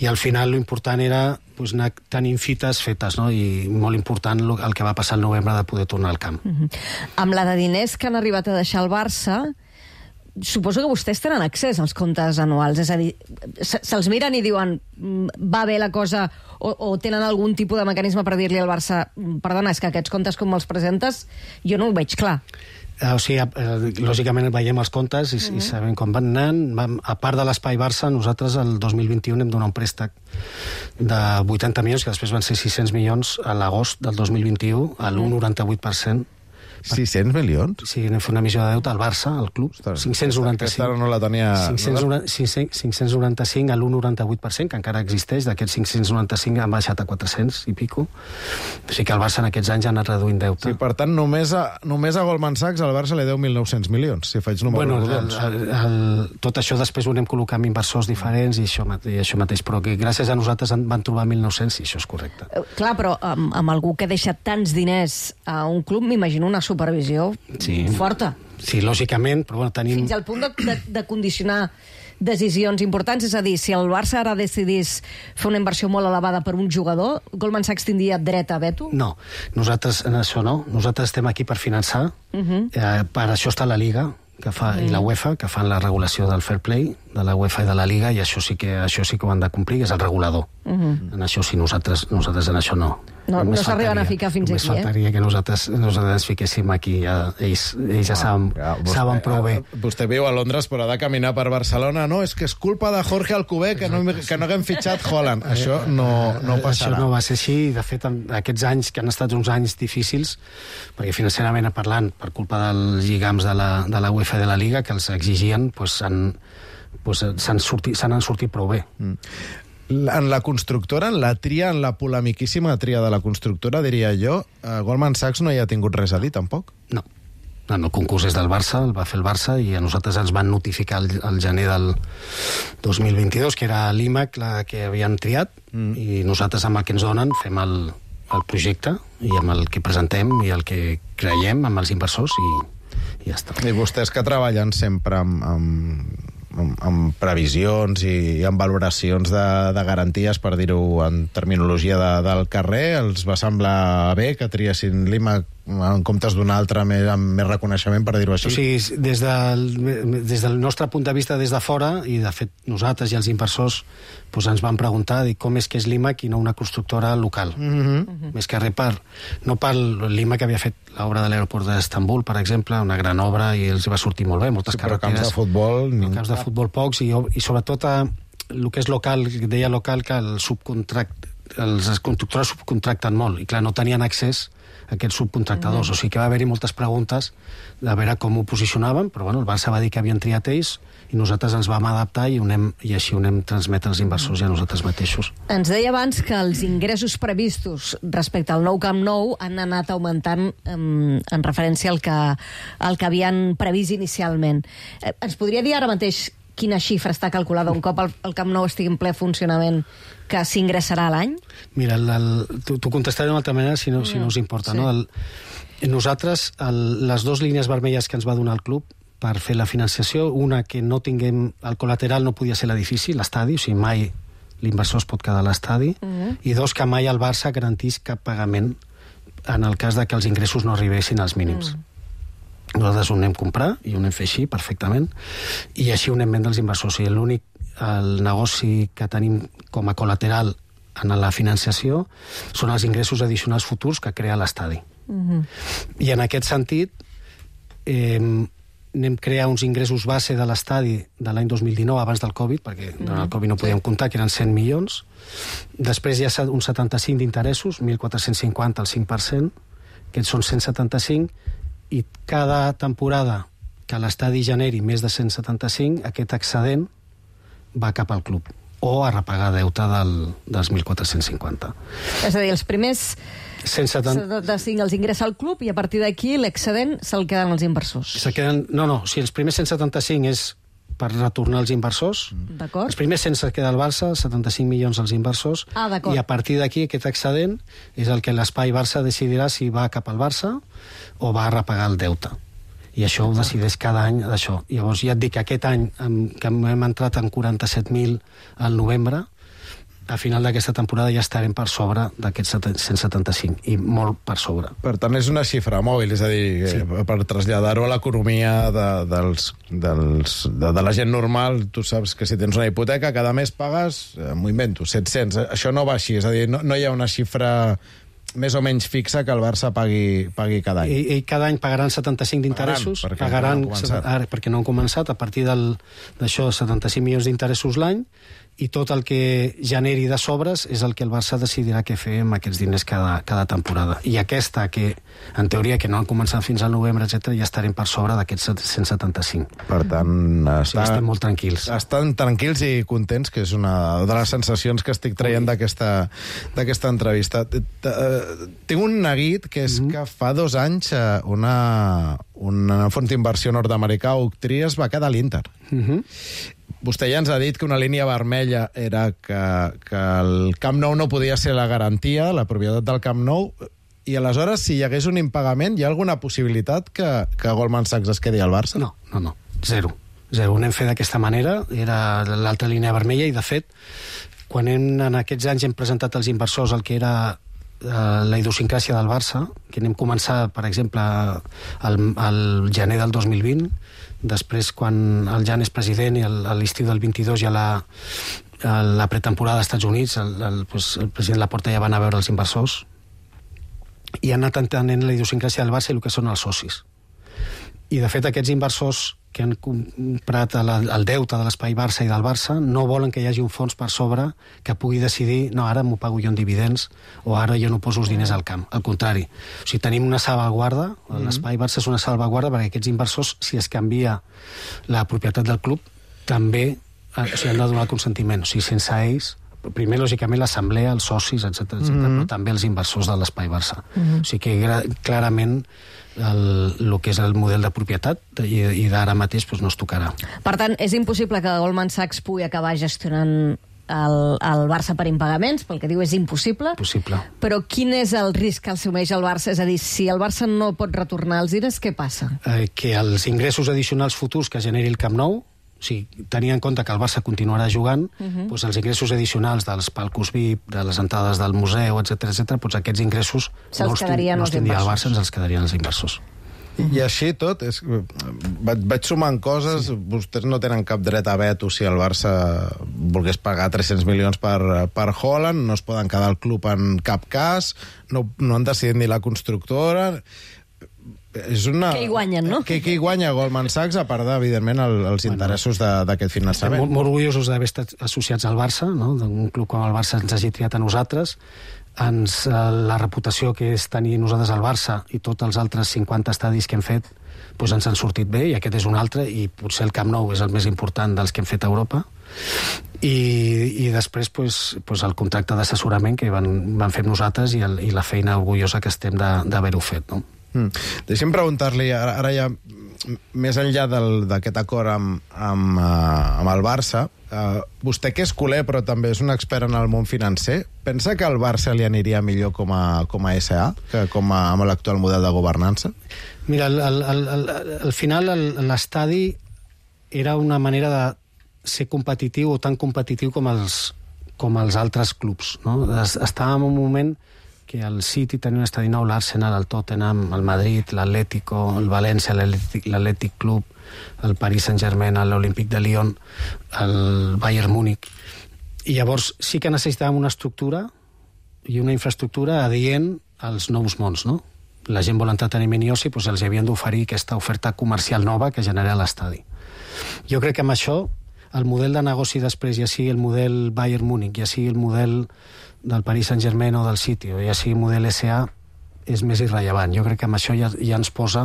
I al final l'important era pues, anar tenint fites fetes, no? I molt important el que va passar el novembre de poder tornar al camp. Mm-hmm. Amb la de diners que han arribat a deixar el Barça, suposo que vostès tenen accés als comptes anuals, és a dir, se'ls miren i diuen va bé la cosa, o, o tenen algun tipus de mecanisme per dir-li al Barça perdona, és que aquests comptes com me'ls presentes jo no ho veig clar. O sigui, lògicament veiem els comptes i, uh-huh. i sabem com van anant. A part de l'Espai Barça, nosaltres el dos mil vint-i-u hem donat un préstec de vuitanta milions, que després van ser sis-cents milions a l'agost del dos mil vint-i-u, a l'u coma noranta-vuit per cent. sis-cents milions? Sí, anem a fer una emissió de deute al Barça, al club. cinc-cents noranta-cinc. Aquesta no la tenia... cinc-cents noranta-cinc a l'u coma noranta-vuit per cent, que encara existeix. D'aquests cinc-cents noranta-cinc han baixat a quatre-cents i pico. O sigui que el Barça en aquests anys ha anat reduint deute. Sí, per tant, només a, només a Goldman Sachs el Barça li deu mil nou-cents milions, si faig números bueno, rodons. El, el, el, tot això després ho anem col·locant amb inversors diferents i això, i això mateix, però que gràcies a nosaltres van trobar mil nou-cents i això és correcte. Uh, clar, però amb, amb algú que deixa tants diners a un club, m'imagino una supervisió sí. forta. Sí, lògicament, però bueno, tenim... Fins al punt de, de, de condicionar decisions importants, és a dir, si el Barça ara decidís fer una inversió molt elevada per un jugador, Goldman Sachs tindria dret a veto? No, nosaltres en això no. Nosaltres estem aquí per finançar, uh-huh. eh, per això està la Liga que fa, uh-huh. i la UEFA, que fan la regulació del fair play, de la UEFA i de la Liga, i això sí que, això sí que ho han de complir, és el regulador. Uh-huh. En això sí, nosaltres, nosaltres en això no. No, no s'arriben a ficar fins només aquí, eh? Només faltaria que nosaltres, nosaltres ens fiquéssim aquí. Ja, ells, ells ja saben, ah, vostè, saben prou bé. Vostè viu a Londres, però ha de caminar per Barcelona. No, és que és culpa de Jorge Alcover que no, que no haguem fitxat Haaland. Això no, no passarà. Això no va ser així. De fet, aquests anys, que han estat uns anys difícils, perquè financerament parlant, per culpa dels lligams de la, de la UEFA i de la Liga, que els exigien, doncs, han, doncs, s'han sortit, s'han sortit prou bé. Mm. En la constructora, en la tria, en la polemiquíssima tria de la constructora, diria jo, eh, Goldman Sachs no hi ha tingut res a dir, tampoc? No. El concurs és del Barça, el va fer el Barça, i a nosaltres ens van notificar el, el gener del dos mil vint-i-dos, que era l'IMAC la que havien triat, mm. i nosaltres amb el que ens donen fem el, el projecte, i amb el que presentem i el que creiem amb els inversors, i, i ja està. I vostès que treballen sempre amb... amb... Amb, amb previsions i amb valoracions de, de garanties, per dir-ho en terminologia de, del carrer, els va semblar bé que triessin l'IMAC en comptes d'un altre més, amb més reconeixement, per dir-ho així? O sigui, des del, des del nostre punt de vista des de fora, i de fet nosaltres i els inversors doncs ens van preguntar dir, com és que és l'IMAC i no una constructora local. Mm-hmm. Més que res per... No per l'IMAC que havia fet l'obra de l'aeroport d'Istanbul, per exemple, una gran obra, i els va sortir molt bé, moltes sí, però carreteres. camps de futbol... Ni... Camps de futbol pocs, i, i sobretot a, el que és local, deia local, que el subcontract, els constructores subcontracten molt, i clar, no tenien accés a aquests subcontractadors, mm. o sigui que va haver-hi moltes preguntes de veure com ho posicionaven, però bueno, el Barça va dir que havien triat ells, i nosaltres ens vam adaptar i, unem, i així ho anem transmetre als inversors i a nosaltres mateixos. Ens deia abans que els ingressos previstos respecte al nou Camp Nou han anat augmentant en, en referència al que, al que havien previst inicialment. Eh, ens podria dir ara mateix quina xifra està calculada un cop el, el Camp Nou estigui en ple funcionament que s'ingressarà a l'any? Mira, t'ho contestaré d'una altra manera si no, si no us importa. Sí. No? El, nosaltres, el, les dues línies vermelles que ens va donar el club per fer la financiació, una que no tinguem el col·lateral no podia ser l'edifici, l'estadi, o sigui, mai l'inversor es pot quedar a l'estadi, uh-huh. i dos, que mai el Barça garantís cap pagament en el cas de que els ingressos no arribessin als mínims. Uh-huh. Nosaltres ho anem a comprar i ho anem a fer així, perfectament, i així ho anem a vendre als inversors. I l'únic el negoci que tenim com a col·lateral en la financiació són els ingressos addicionals futurs que crea l'estadi. Uh-huh. I en aquest sentit, eh, anem a crear uns ingressos base de l'estadi de l'any dos mil dinou, abans del Covid, perquè uh-huh. durant el Covid no podíem comptar, que eren cent milions. Després hi ha uns setanta-cinc d'interessos, mil quatre-cents cinquanta al cinc per cent, aquests són cent setanta-cinc, i cada temporada que l'estadi generi més de cent setanta-cinc, aquest excedent va cap al club, o a repagar deute del, dels mil quatre-cents cinquanta. És a dir, els primers cent setanta-cinc els ingressa al club i a partir d'aquí l'excedent se'l queden els inversors. Se queden, no, no, si els primers cent setanta-cinc és per retornar als inversors, els primers cent se queda al Barça, setanta-cinc milions als inversors, ah, i a partir d'aquí aquest excedent és el que l'Espai Barça decidirà si va cap al Barça o va a repagar el deute. I això ho decideix cada any d'això. Llavors ja et dic que aquest any, que hem entrat en quaranta-set mil al novembre, a final d'aquesta temporada ja estarem per sobre d'aquests cent setanta-cinc, i molt per sobre. Per tant, és una xifra mòbil, és a dir, sí. per traslladar-ho a l'economia de, dels, dels, de, de la gent normal, tu saps que si tens una hipoteca, cada mes pagues, m'ho invento, set-cents. Això no va així, és a dir, no, no hi ha una xifra més o menys fixa que el Barça pagui, pagui cada any. I, i cada any pagaran setanta-cinc d'interessos, perquè, pagaran, no ara, perquè no han començat, a partir d'això, setanta-cinc milions d'interessos l'any, i tot el que generi de sobres és el que el Barça decidirà què fer amb aquests diners cada, cada temporada. I aquesta, que en teoria que no han començat fins al novembre, etcètera, ja estarem per sobre d'aquests cent setanta-cinc. Per tant, està, ja estem molt tranquils. Estan tranquils i contents, que és una de les sensacions que estic traient d'aquesta d'aquesta entrevista. Tinc un neguit, que és mm-hmm. que fa dos anys una, una font d'inversió nord-americà, Oaktree, es va quedar a l'Inter. Mhm. Vostè ja ens ha dit que una línia vermella era que, que el Camp Nou no podia ser la garantia, la propietat del Camp Nou, i aleshores, si hi hagués un impagament, hi ha alguna possibilitat que, que Goldman Sachs es quedi al Barça? No, no, no, zero. Zero. Ho anem fet d'aquesta manera, era l'altra línia vermella, i de fet, quan hem, en aquests anys hem presentat als inversors el que era eh, la idiosincràsia del Barça, que anem començar, per exemple, al, al gener del dos mil vint, després, quan el Jan és president i a l'estiu del vint-i-dos ja la, la pretemporada als Estats Units, el, el, pues, el president Laporta ja va anar a veure els inversors i ha anat entenent la idiosincràsia del Barça i el que són els socis. I, de fet, aquests inversors que han comprat el, el deute de l'Espai Barça i del Barça no volen que hi hagi un fons per sobre que pugui decidir, no, ara m'ho pago jo en dividends o ara jo no poso els diners al camp. Al contrari. O sigui, tenim una salvaguarda, mm-hmm. l'Espai Barça és una salvaguarda perquè aquests inversors, si es canvia la propietat del club, també o sigui, han de donar el consentiment. O sigui, sense ells primer, lògicament, l'assemblea, els socis, etcètera, etcètera, Mhm. però també els inversors de l'Espai Barça. Mhm. O sigui que gra- clarament el, el que és el model de propietat i, i d'ara mateix doncs, no es tocarà. Per tant, és impossible que Goldman Sachs pugui acabar gestionant el, el Barça per impagaments, pel que diu és impossible. Possible. Però quin és el risc que assumeix el Barça? És a dir, si el Barça no pot retornar els diners, què passa? Eh, que els ingressos addicionals futurs que generi el Camp Nou, o sigui, tenint en compte que el Barça continuarà jugant, Mhm. doncs els ingressos addicionals dels palcos V I P, de les entrades del museu, etcètera, etcètera, doncs aquests ingressos Se'ls no els, quedarien no els els tindria el inversors. Barça, ens els quedarien els inversors. I així tot, és, vaig, vaig sumant coses, sí. Vostès no tenen cap dret a veto si el Barça volgués pagar tres-cents milions per, per Haaland, no es poden quedar al club en cap cas, no, no han decidit ni la constructora... És una... Que hi guanyen, no? Que, que hi guanya Goldman Sachs, a part, de, evidentment, el, els interessos de- d'aquest Estem finançament. molt, molt orgullosos d'haver estat associats al Barça, no? d'un club com el Barça ens hagi triat a nosaltres. Ens, eh, la reputació que és tenir nosaltres al Barça i tots els altres cinquanta estadis que hem fet doncs ens han sortit bé, i aquest és un altre, i potser el Camp Nou és el més important dels que hem fet a Europa. I, i després doncs, doncs el contracte d'assessorament que van, van fer amb nosaltres i, el, i la feina orgullosa que estem de- d'haver-ho fet. No? Mm. Deixi'm preguntar-li, ara, ara ja més enllà del- d'aquest acord amb, amb, uh, amb el Barça, uh, vostè que és culer però també és un expert en el món financer, pensa que al Barça li aniria millor com a, com a S A que com a, amb l'actual model de governança? Mira, al, al, al, al, al final el- l'estadi era una manera de ser competitiu o tan competitiu com els, com els altres clubs. No? Es- Estàvem en un moment que el City tenia un estadi nou, l'Arsenal, el Tottenham, el Madrid, l'Atlético, el València, l'Atlètic l'Atlètic Club, el Paris Saint-Germain, l'Olímpic de Lyon, el Bayern Múnich. I llavors sí que necessitàvem una estructura i una infraestructura adient als nous mons, no? La gent vol entreteniment i oci, doncs els havien d'oferir aquesta oferta comercial nova que genera l'estadi. Jo crec que amb això el model de negoci després, ja sigui el model Bayern Múnich, ja sigui el model del Paris Saint-Germain o del City, o ja sigui el model S A, és més irrellevant. Jo crec que amb això ja, ja ens posa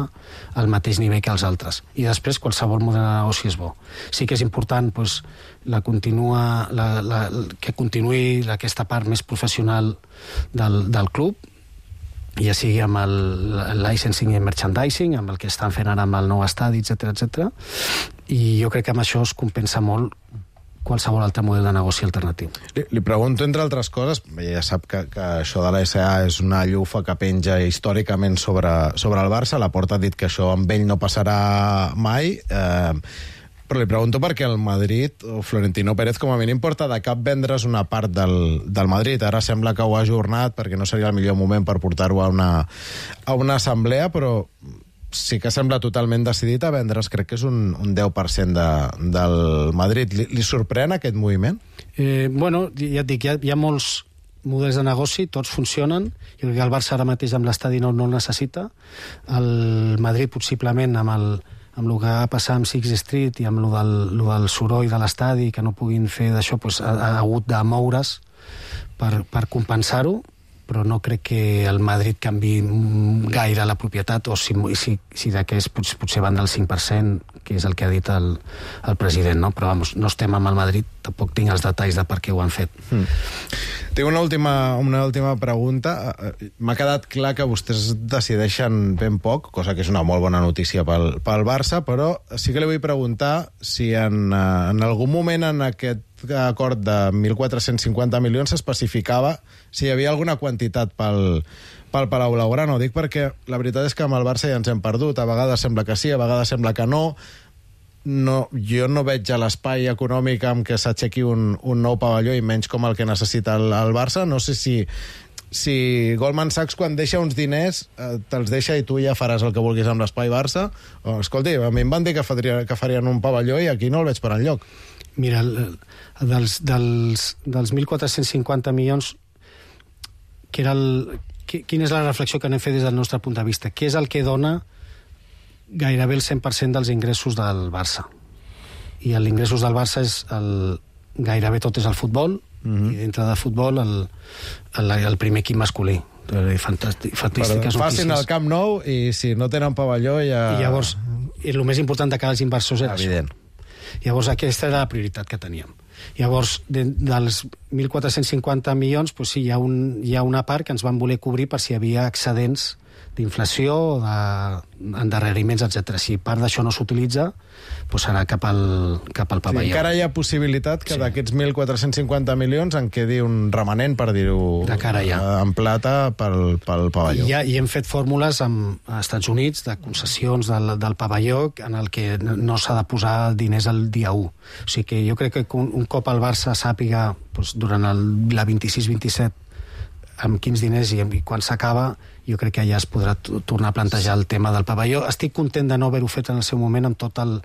al mateix nivell que els altres. I després qualsevol model de negoci és bo. Sí que és important doncs, la continua, la, la, que continuï aquesta part més professional del, del club, ja sigui amb el, el licensing i merchandising, amb el que estan fent ara amb el nou estadi, etcètera, etcètera. I jo crec que amb això es compensa molt qualsevol altre model de negoci alternatiu. Li, li pregunto, entre altres coses, ja sap que, que això de la S A és una llufa que penja històricament sobre, sobre el Barça, la Porta ha dit que això amb ell no passarà mai, eh, però li pregunto perquè el Madrid, o Florentino Pérez, com a mínim, porta de cap vendre's una part del, del Madrid. Ara sembla que ho ha ajornat perquè no seria el millor moment per portar-ho a una, a una assemblea, però sí que sembla totalment decidit a vendre's, crec que és un, un deu per cent de, del Madrid. Li, li sorprèn aquest moviment? Eh, bueno, ja et dic, hi ha, hi ha molts models de negoci, tots funcionen. Jo crec que el Barça ara mateix amb l'estadi no, no el necessita. El Madrid possiblement amb el, amb el que va passar amb Sixth Street i amb el del, lo del soroll de l'estadi, que no puguin fer d'això, doncs, ha, ha hagut de moure's per, per compensar-ho, però no crec que el Madrid canvi gaire la propietat, o si, si, si d'aquest potser, potser van del cinc per cent, que és el que ha dit el, el president, no? Però vamos, no estem amb el Madrid, tampoc tinc els detalls de per què ho han fet. Mm. Tinc una última, una última pregunta. M'ha quedat clar que vostès decideixen ben poc, cosa que és una molt bona notícia pel, pel Barça, però sí que li vull preguntar si en, en algun moment en aquest acord de mil quatre-cents cinquanta milions s'especificava si hi havia alguna quantitat pel, pel Palau Blaugrana. Ho dic perquè la veritat és que amb el Barça ja ens hem perdut. A vegades sembla que sí, a vegades sembla que no. No, jo no veig a l'espai econòmic amb què s'aixequi un, un nou pavelló, i menys com el que necessita el, el Barça. No sé si, si Goldman Sachs, quan deixa uns diners, eh, te'ls deixa i tu ja faràs el que vulguis amb l'espai Barça. O, escolti, a mi em van dir que, faria, que farien un pavelló i aquí no el veig per enlloc. Mira, el, dels, dels, dels mil quatre-cents cinquanta milions, que era el, que, quina és la reflexió que anem fet des del nostre punt de vista? Què és el que dona gairebé el cent per cent dels ingressos del Barça? I els ingressos del Barça és el, gairebé tot és el futbol, mm-hmm. i dintre de futbol el, el, el primer equip masculí. Fantàstic, fantàstiques notícies. Facin el Camp Nou i si no tenen pavelló ja... I llavors, el més important de cara als inversors era evident. això. Llavors aquesta era la prioritat que teníem. Llavors, de, dels mil quatre-cents cinquanta milions, pues sí, hi ha, un, hi ha una part que ens van voler cobrir per si hi havia excedents d'inflació, d'endarreriments, etcètera. Si part d'això no s'utilitza, pues serà cap al, cap al pavelló. Sí, encara hi ha possibilitat que sí. d'aquests mil quatre-cents cinquanta milions en quedi un remanent, per dir-ho en plata, pel, pel pavelló. I, ja, I hem fet fórmules amb, als Estats Units de concessions del, del pavelló en el que no s'ha de posar diners el dia u. O sigui que jo crec que un, un cop el Barça sàpiga pues, durant el, la vint-i-sis vint-i-set amb quins diners i, i quan s'acaba, jo crec que ja es podrà tornar a plantejar el tema del pavelló. Estic content de no haver-ho fet en el seu moment amb tot el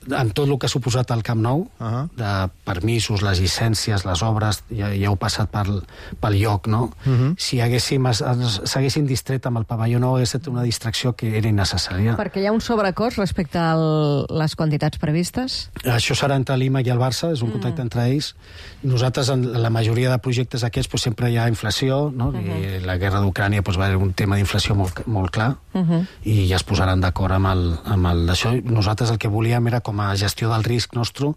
amb tot el que ha suposat el Camp Nou, uh-huh. de permisos, les llicències, les obres, ja, ja heu passat pel, pel lloc, no? Uh-huh. Si haguéssim, s'haguessin distret amb el pavelló nou, hagués estat una distracció que era innecessària. Perquè hi ha un sobrecost respecte a les quantitats previstes? Això serà entre l'I M A i el Barça, és un contacte mm. entre ells. Nosaltres, en la majoria de projectes aquests, pues, sempre hi ha inflació, no? Uh-huh. I la guerra d'Ucrània pues, va haver un tema d'inflació molt, molt clar, uh-huh. i ja es posaran d'acord amb el, amb el d'això. Nosaltres el que volíem era com a gestió del risc nostre,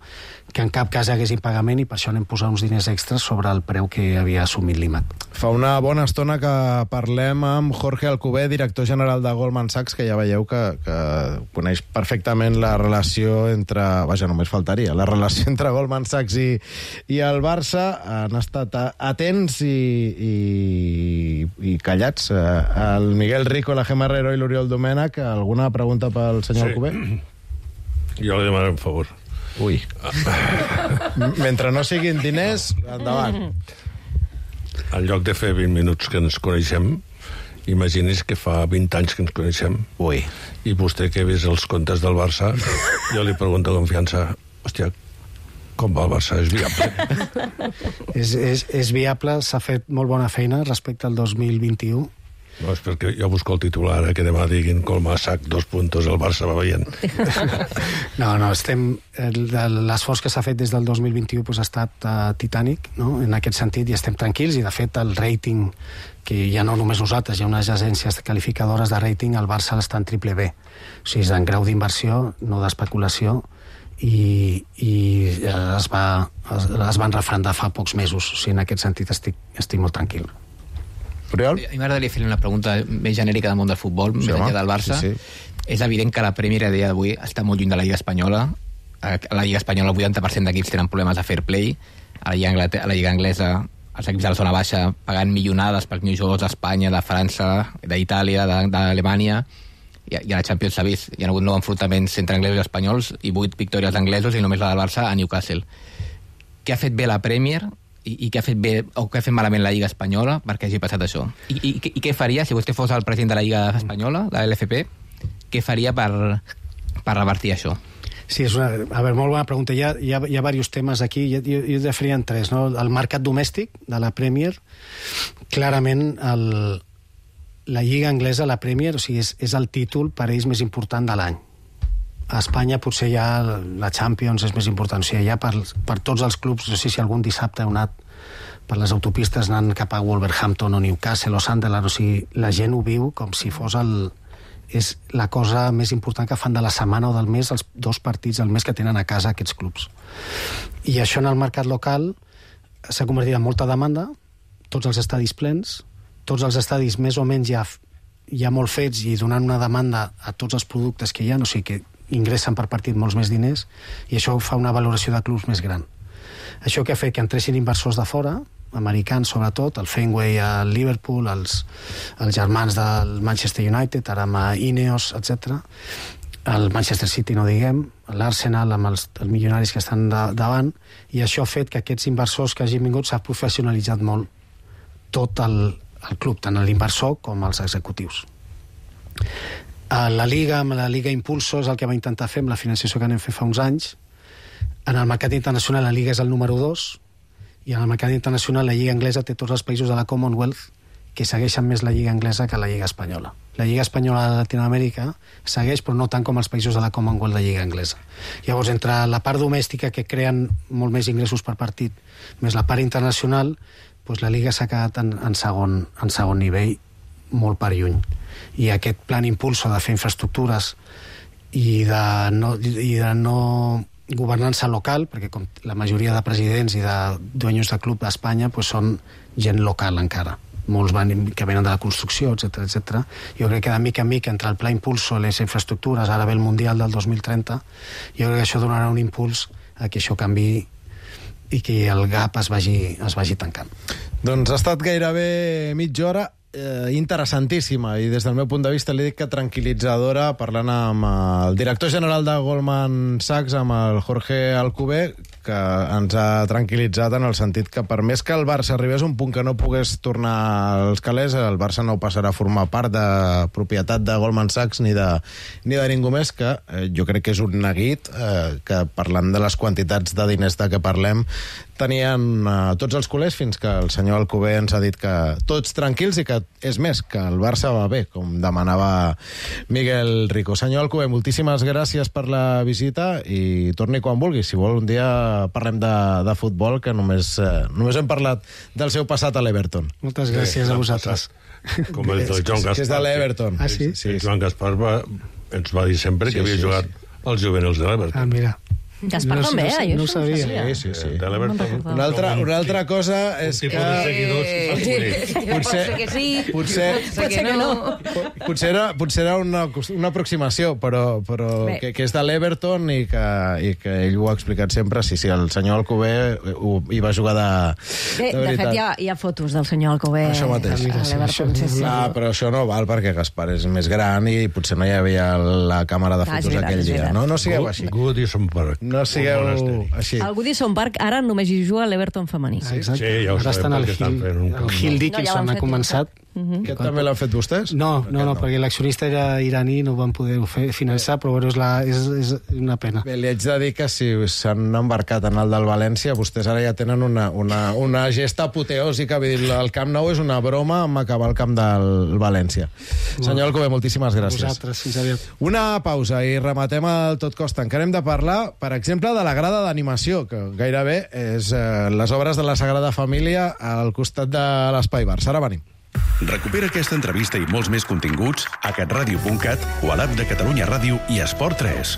que en cap cas hi hagués impagament, i per això anem posant uns diners extras sobre el preu que havia assumit l'I M A C. Fa una bona estona que parlem amb Jorge Alcover, director general de Goldman Sachs, que ja veieu que, que coneix perfectament la relació entre... Vaja, només faltaria. La relació entre Goldman Sachs i, i el Barça. Han estat atents i, i, i callats. El Miguel Rico, la Gemma Herrero i l'Oriol Domènech. Alguna pregunta pel senyor sí. Alcover? Jo li demano un favor. Ui. Mentre no siguin diners, endavant. En lloc de fer vint minuts que ens coneixem, imagini's que fa vint anys que ens coneixem. Ui. I vostè que ha vist els comptes del Barça, jo li pregunto amb confiança, hòstia, com va el Barça? És viable? és, és, és viable, s'ha fet molt bona feina respecte al dos mil vint-i-u. No, és perquè jo busco el titular, eh, que demà diguin Goldman Sachs, dos puntos, el Barça va veient. No, no, estem... L'esforç que s'ha fet des del dos mil vint-i-u pues, ha estat uh, titànic, no? En aquest sentit, i estem tranquils, i de fet el rating, que ja no només nosaltres, hi ha unes agències qualificadores de rating, el Barça està en triple B. O sigui, és en grau d'inversió, no d'especulació, i, i es, va, es, es van refrendar fa pocs mesos. O sigui, en aquest sentit estic, estic molt tranquil. Oriol? A mi m'agradaria fer una pregunta més genèrica del món del futbol, sí, més enllà del Barça. Sí, sí. És evident que la Premier a dia d'avui està molt lluny de la Lliga Espanyola. A la Lliga Espanyola el vuitanta per cent d'equips tenen problemes de fair play. A la Lliga, Anglete- a la Lliga Anglesa els equips de la zona baixa pagant milionades pels millors jugadors d'Espanya, de França, d'Itàlia, d'Alemanya, i a la Champions s'ha vist. Hi ha hagut nou enfrontaments entre anglesos i espanyols i vuit victòries d'anglesos i només la del Barça a Newcastle. Què ha fet bé la Premier i, i què ha fet bé o què ha fet malament la Lliga Espanyola perquè hagi passat això? I, i, i què faria, si vostè fos el president de la Lliga Espanyola, de l'L F P, què faria per, per revertir això? Sí, és una, a veure, molt bona pregunta. Hi ha, hi ha, hi ha diversos temes aquí. Jo, jo, jo definia en tres, no? El mercat domèstic de la Premier, clarament el, la Lliga Anglesa, la Premier, o sigui, és, és el títol per ells més important de l'any. A Espanya potser ja la Champions és més important. O sigui, ja per, per tots els clubs, no sé si algun dissabte heu anat per les autopistes anant cap a Wolverhampton o Newcastle o Sunderland, o sigui, la gent ho viu com si fos el... és la cosa més important que fan de la setmana o del mes, els dos partits al mes que tenen a casa aquests clubs. I això en el mercat local s'ha convertit en molta demanda, tots els estadis plens, tots els estadis més o menys ja, ja molt fets i donant una demanda a tots els productes que hi ha, o sigui que ingressen per partit molts més diners, i això fa una valoració de clubs més gran. Això que ha fet que entressin inversors de fora, americans sobretot, el Fenway, el Liverpool, els, els germans del Manchester United, ara amb Ineos, etcètera. El Manchester City, no diguem, l'Arsenal amb els, els milionaris que estan de, davant, i això ha fet que aquests inversors que hagin vingut s'ha professionalitzat molt tot el, el club, tant l'inversor com els executius. La Liga, amb la Liga Impulso, és el que va intentar fer amb la financiació que anem fer fa uns anys. En el mercat internacional la Liga és el número dos, i en el mercat internacional la Lliga Anglesa té tots els països de la Commonwealth que segueixen més la Lliga Anglesa que la Lliga Espanyola. La Lliga Espanyola de Latinoamèrica segueix, però no tant com els països de la Commonwealth de Lliga Anglesa. Llavors, entre la part domèstica, que creen molt més ingressos per partit, més la part internacional, doncs la Liga s'ha quedat en, en, segon, en segon nivell, molt per lluny. I aquest plan impulso de fer infraestructures i de no, i de no governança local, perquè com la majoria de presidents i de dueños de club d'Espanya pues, són gent local encara. Molts van, que venen de la construcció, etcètera, etcètera. Jo crec que de mica en mica, entre el Pla Impulso i les infraestructures, ara ve el Mundial del dos mil trenta, jo crec que això donarà un impuls a que això canvi i que el gap es vagi, es vagi tancant. Doncs ha estat gairebé mitja hora eh, interessantíssima i des del meu punt de vista li dic que tranquil·litzadora, parlant amb el director general de Goldman Sachs, amb el Jorge Alcover, que ens ha tranquil·litzat en el sentit que per més que el Barça arribés a un punt que no pogués tornar als calés, el Barça no passarà a formar part de propietat de Goldman Sachs ni de, ni de ningú més, que eh, jo crec que és un neguit eh, que parlant de les quantitats de diners de què parlem tenien eh, tots els culers fins que el senyor Alcover ens ha dit que tots tranquils i que és més, que el Barça va bé, com demanava Miguel Rico. Senyor Alcover, moltíssimes gràcies per la visita i torni quan vulgui. Si vol un dia parlem de, de futbol, que només, eh, només hem parlat del seu passat a l'Everton. Moltes gràcies Bé, a vosaltres. Com el del Joan Gaspar. Que és de l'Everton. Ah, sí? Sí, el Joan Gaspar va, ens va dir sempre Sí, que havia sí, jugat sí. als juvenils de l'Everton. Ah, Gaspar mira. No, també, no, eh? no ho Jo sabia. sabia. Sí, sí, sí. De l'Everton. Una altra, una altra cosa és que... Potser Potser, que sí, potser, potser que no. potser era, potser era una, una aproximació, però, però que, que és de l'Everton i que, i que ell ho ha explicat sempre. Sí, sí, el senyor Alcover ho, hi va jugar de, Bé, de de veritat. fet, hi ha, hi ha fotos del senyor Alcover Això mateix. a l'Everton. Sí, sí. Ah, però això no val perquè Gaspar és més gran i potser no hi havia la càmera de Ah, és fotos veritat, aquell és dia. veritat. No, no sigueu així. Goodison Park. No sigueu així. El Goodison Park ara només hi juga l'Everton femení. Ah, exacte. Sí, ja ho Ara sabem, estan al perquè estan Hill, fent un el camp Hill nou. Dickinson No, ja l'han ha fet, començat. Mhm. Aquest també l'han fet vostès? No, no, no, no. perquè l'accionista era iraní, no ho van poder fer, finançar, però bueno, és, la, és, és una pena. Bé, li haig de dir que si s'han embarcat en el del València, vostès ara ja tenen una, una, una gesta apoteòsica. Vull dir, el Camp Nou és una broma amb acabar el camp del València. Senyor Alcover, moltíssimes gràcies. Vosaltres, fins aviat. Una pausa i rematem el Tot Costa. Encara hem de parlar, per exemple, de la grada d'animació, que gairebé és eh, les obres de la Sagrada Família al costat de l'Espai Barça. Ara venim. Recupera aquesta entrevista i molts més continguts a catradio punt cat o a l'app de Catalunya Ràdio i Esport tres.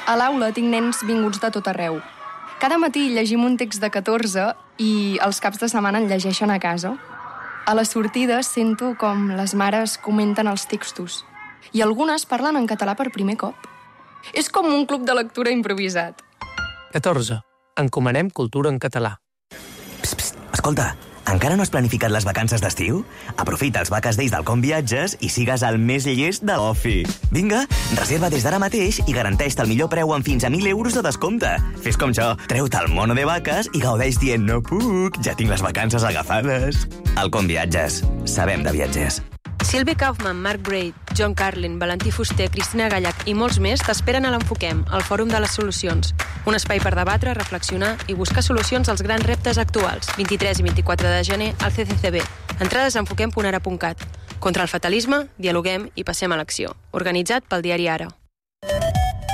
A l'aula tinc nens vinguts de tot arreu. Cada matí llegim un text de catorze i els caps de setmana en llegeixen a casa. A les sortides sento com les mares comenten els textos i algunes parlen en català per primer cop. És com un club de lectura improvisat. catorze. Encomanem cultura en català. Psst, psst, escolta, encara no has planificat les vacances d'estiu? Aprofita els Vaques Days del Com Viatges i sigues el més llest de l'Ofi. Vinga, reserva des d'ara mateix i garanteix-te el millor preu amb fins a mil euros de descompte. Fes com jo, treu-te el mono de vaques i gaudeix dient no puc, ja tinc les vacances agafades. El Com Viatges. Sabem de viatgers. Sylvie Kaufman, Mark Braid, John Carlin, Valentí Fuster, Cristina Gallac i molts més t'esperen a l'Enfoquem, el Fòrum de les Solucions. Un espai per debatre, reflexionar i buscar solucions als grans reptes actuals. vint-i-tres i vint-i-quatre de gener al C C C B. Entrades a enfoquem punt ara punt cat. Contra el fatalisme, dialoguem i passem a l'acció. Organitzat pel diari Ara.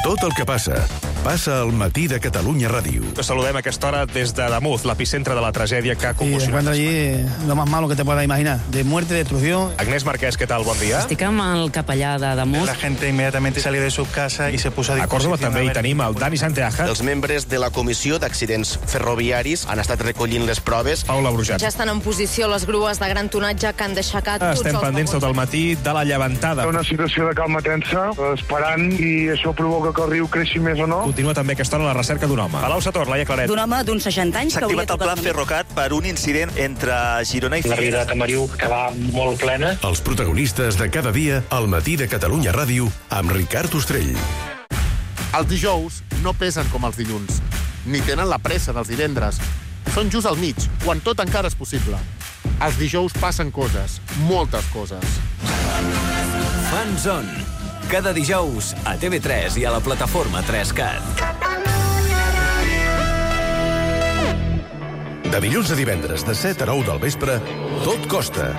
Tot el que passa, passa al matí de Catalunya Ràdio. Te saludem a aquesta hora des de Damuz, l'epicentre de la tragèdia que ha Y conmocionat. encuentro allí lo más malo que te puedas imaginar, de muerte, destrucción. Agnès Marquès, què tal? Bon dia. Estic amb el capellà de Damuz. La gente inmediatamente salió de su casa y se puso a A Córdoba disposición. també hi tenim el Dani Santeaja. Els membres de la Comissió d'Accidents Ferroviaris han estat recollint les proves. Paula Brujat. Ja estan en posició les grues de gran tonatge que han d'aixecar tots Estem els pendents tot el matí de la llevantada. Una situació de calma tensa, esperant, i això provoca que el riu creixi més o no. Continua també aquesta hora la recerca d'un home. Palau Sator, Laia Claret. D'un home d'uns seixanta anys S'ha que hauria activat el pla tocat... Ferrocat per un incident entre Girona i La Figueres. vida de Tamariu, que va molt plena. Els protagonistes de cada dia al matí de Catalunya Ràdio amb Ricard Ostrell. Els dijous no pesen com els dilluns, ni tenen la pressa dels divendres. Són just al mig, quan tot encara és possible. Els dijous passen coses, moltes coses. Fan Zone. Cada dijous a T V tres i a la plataforma tres cat. De dilluns a divendres, de set a nou del vespre, Tot Costa.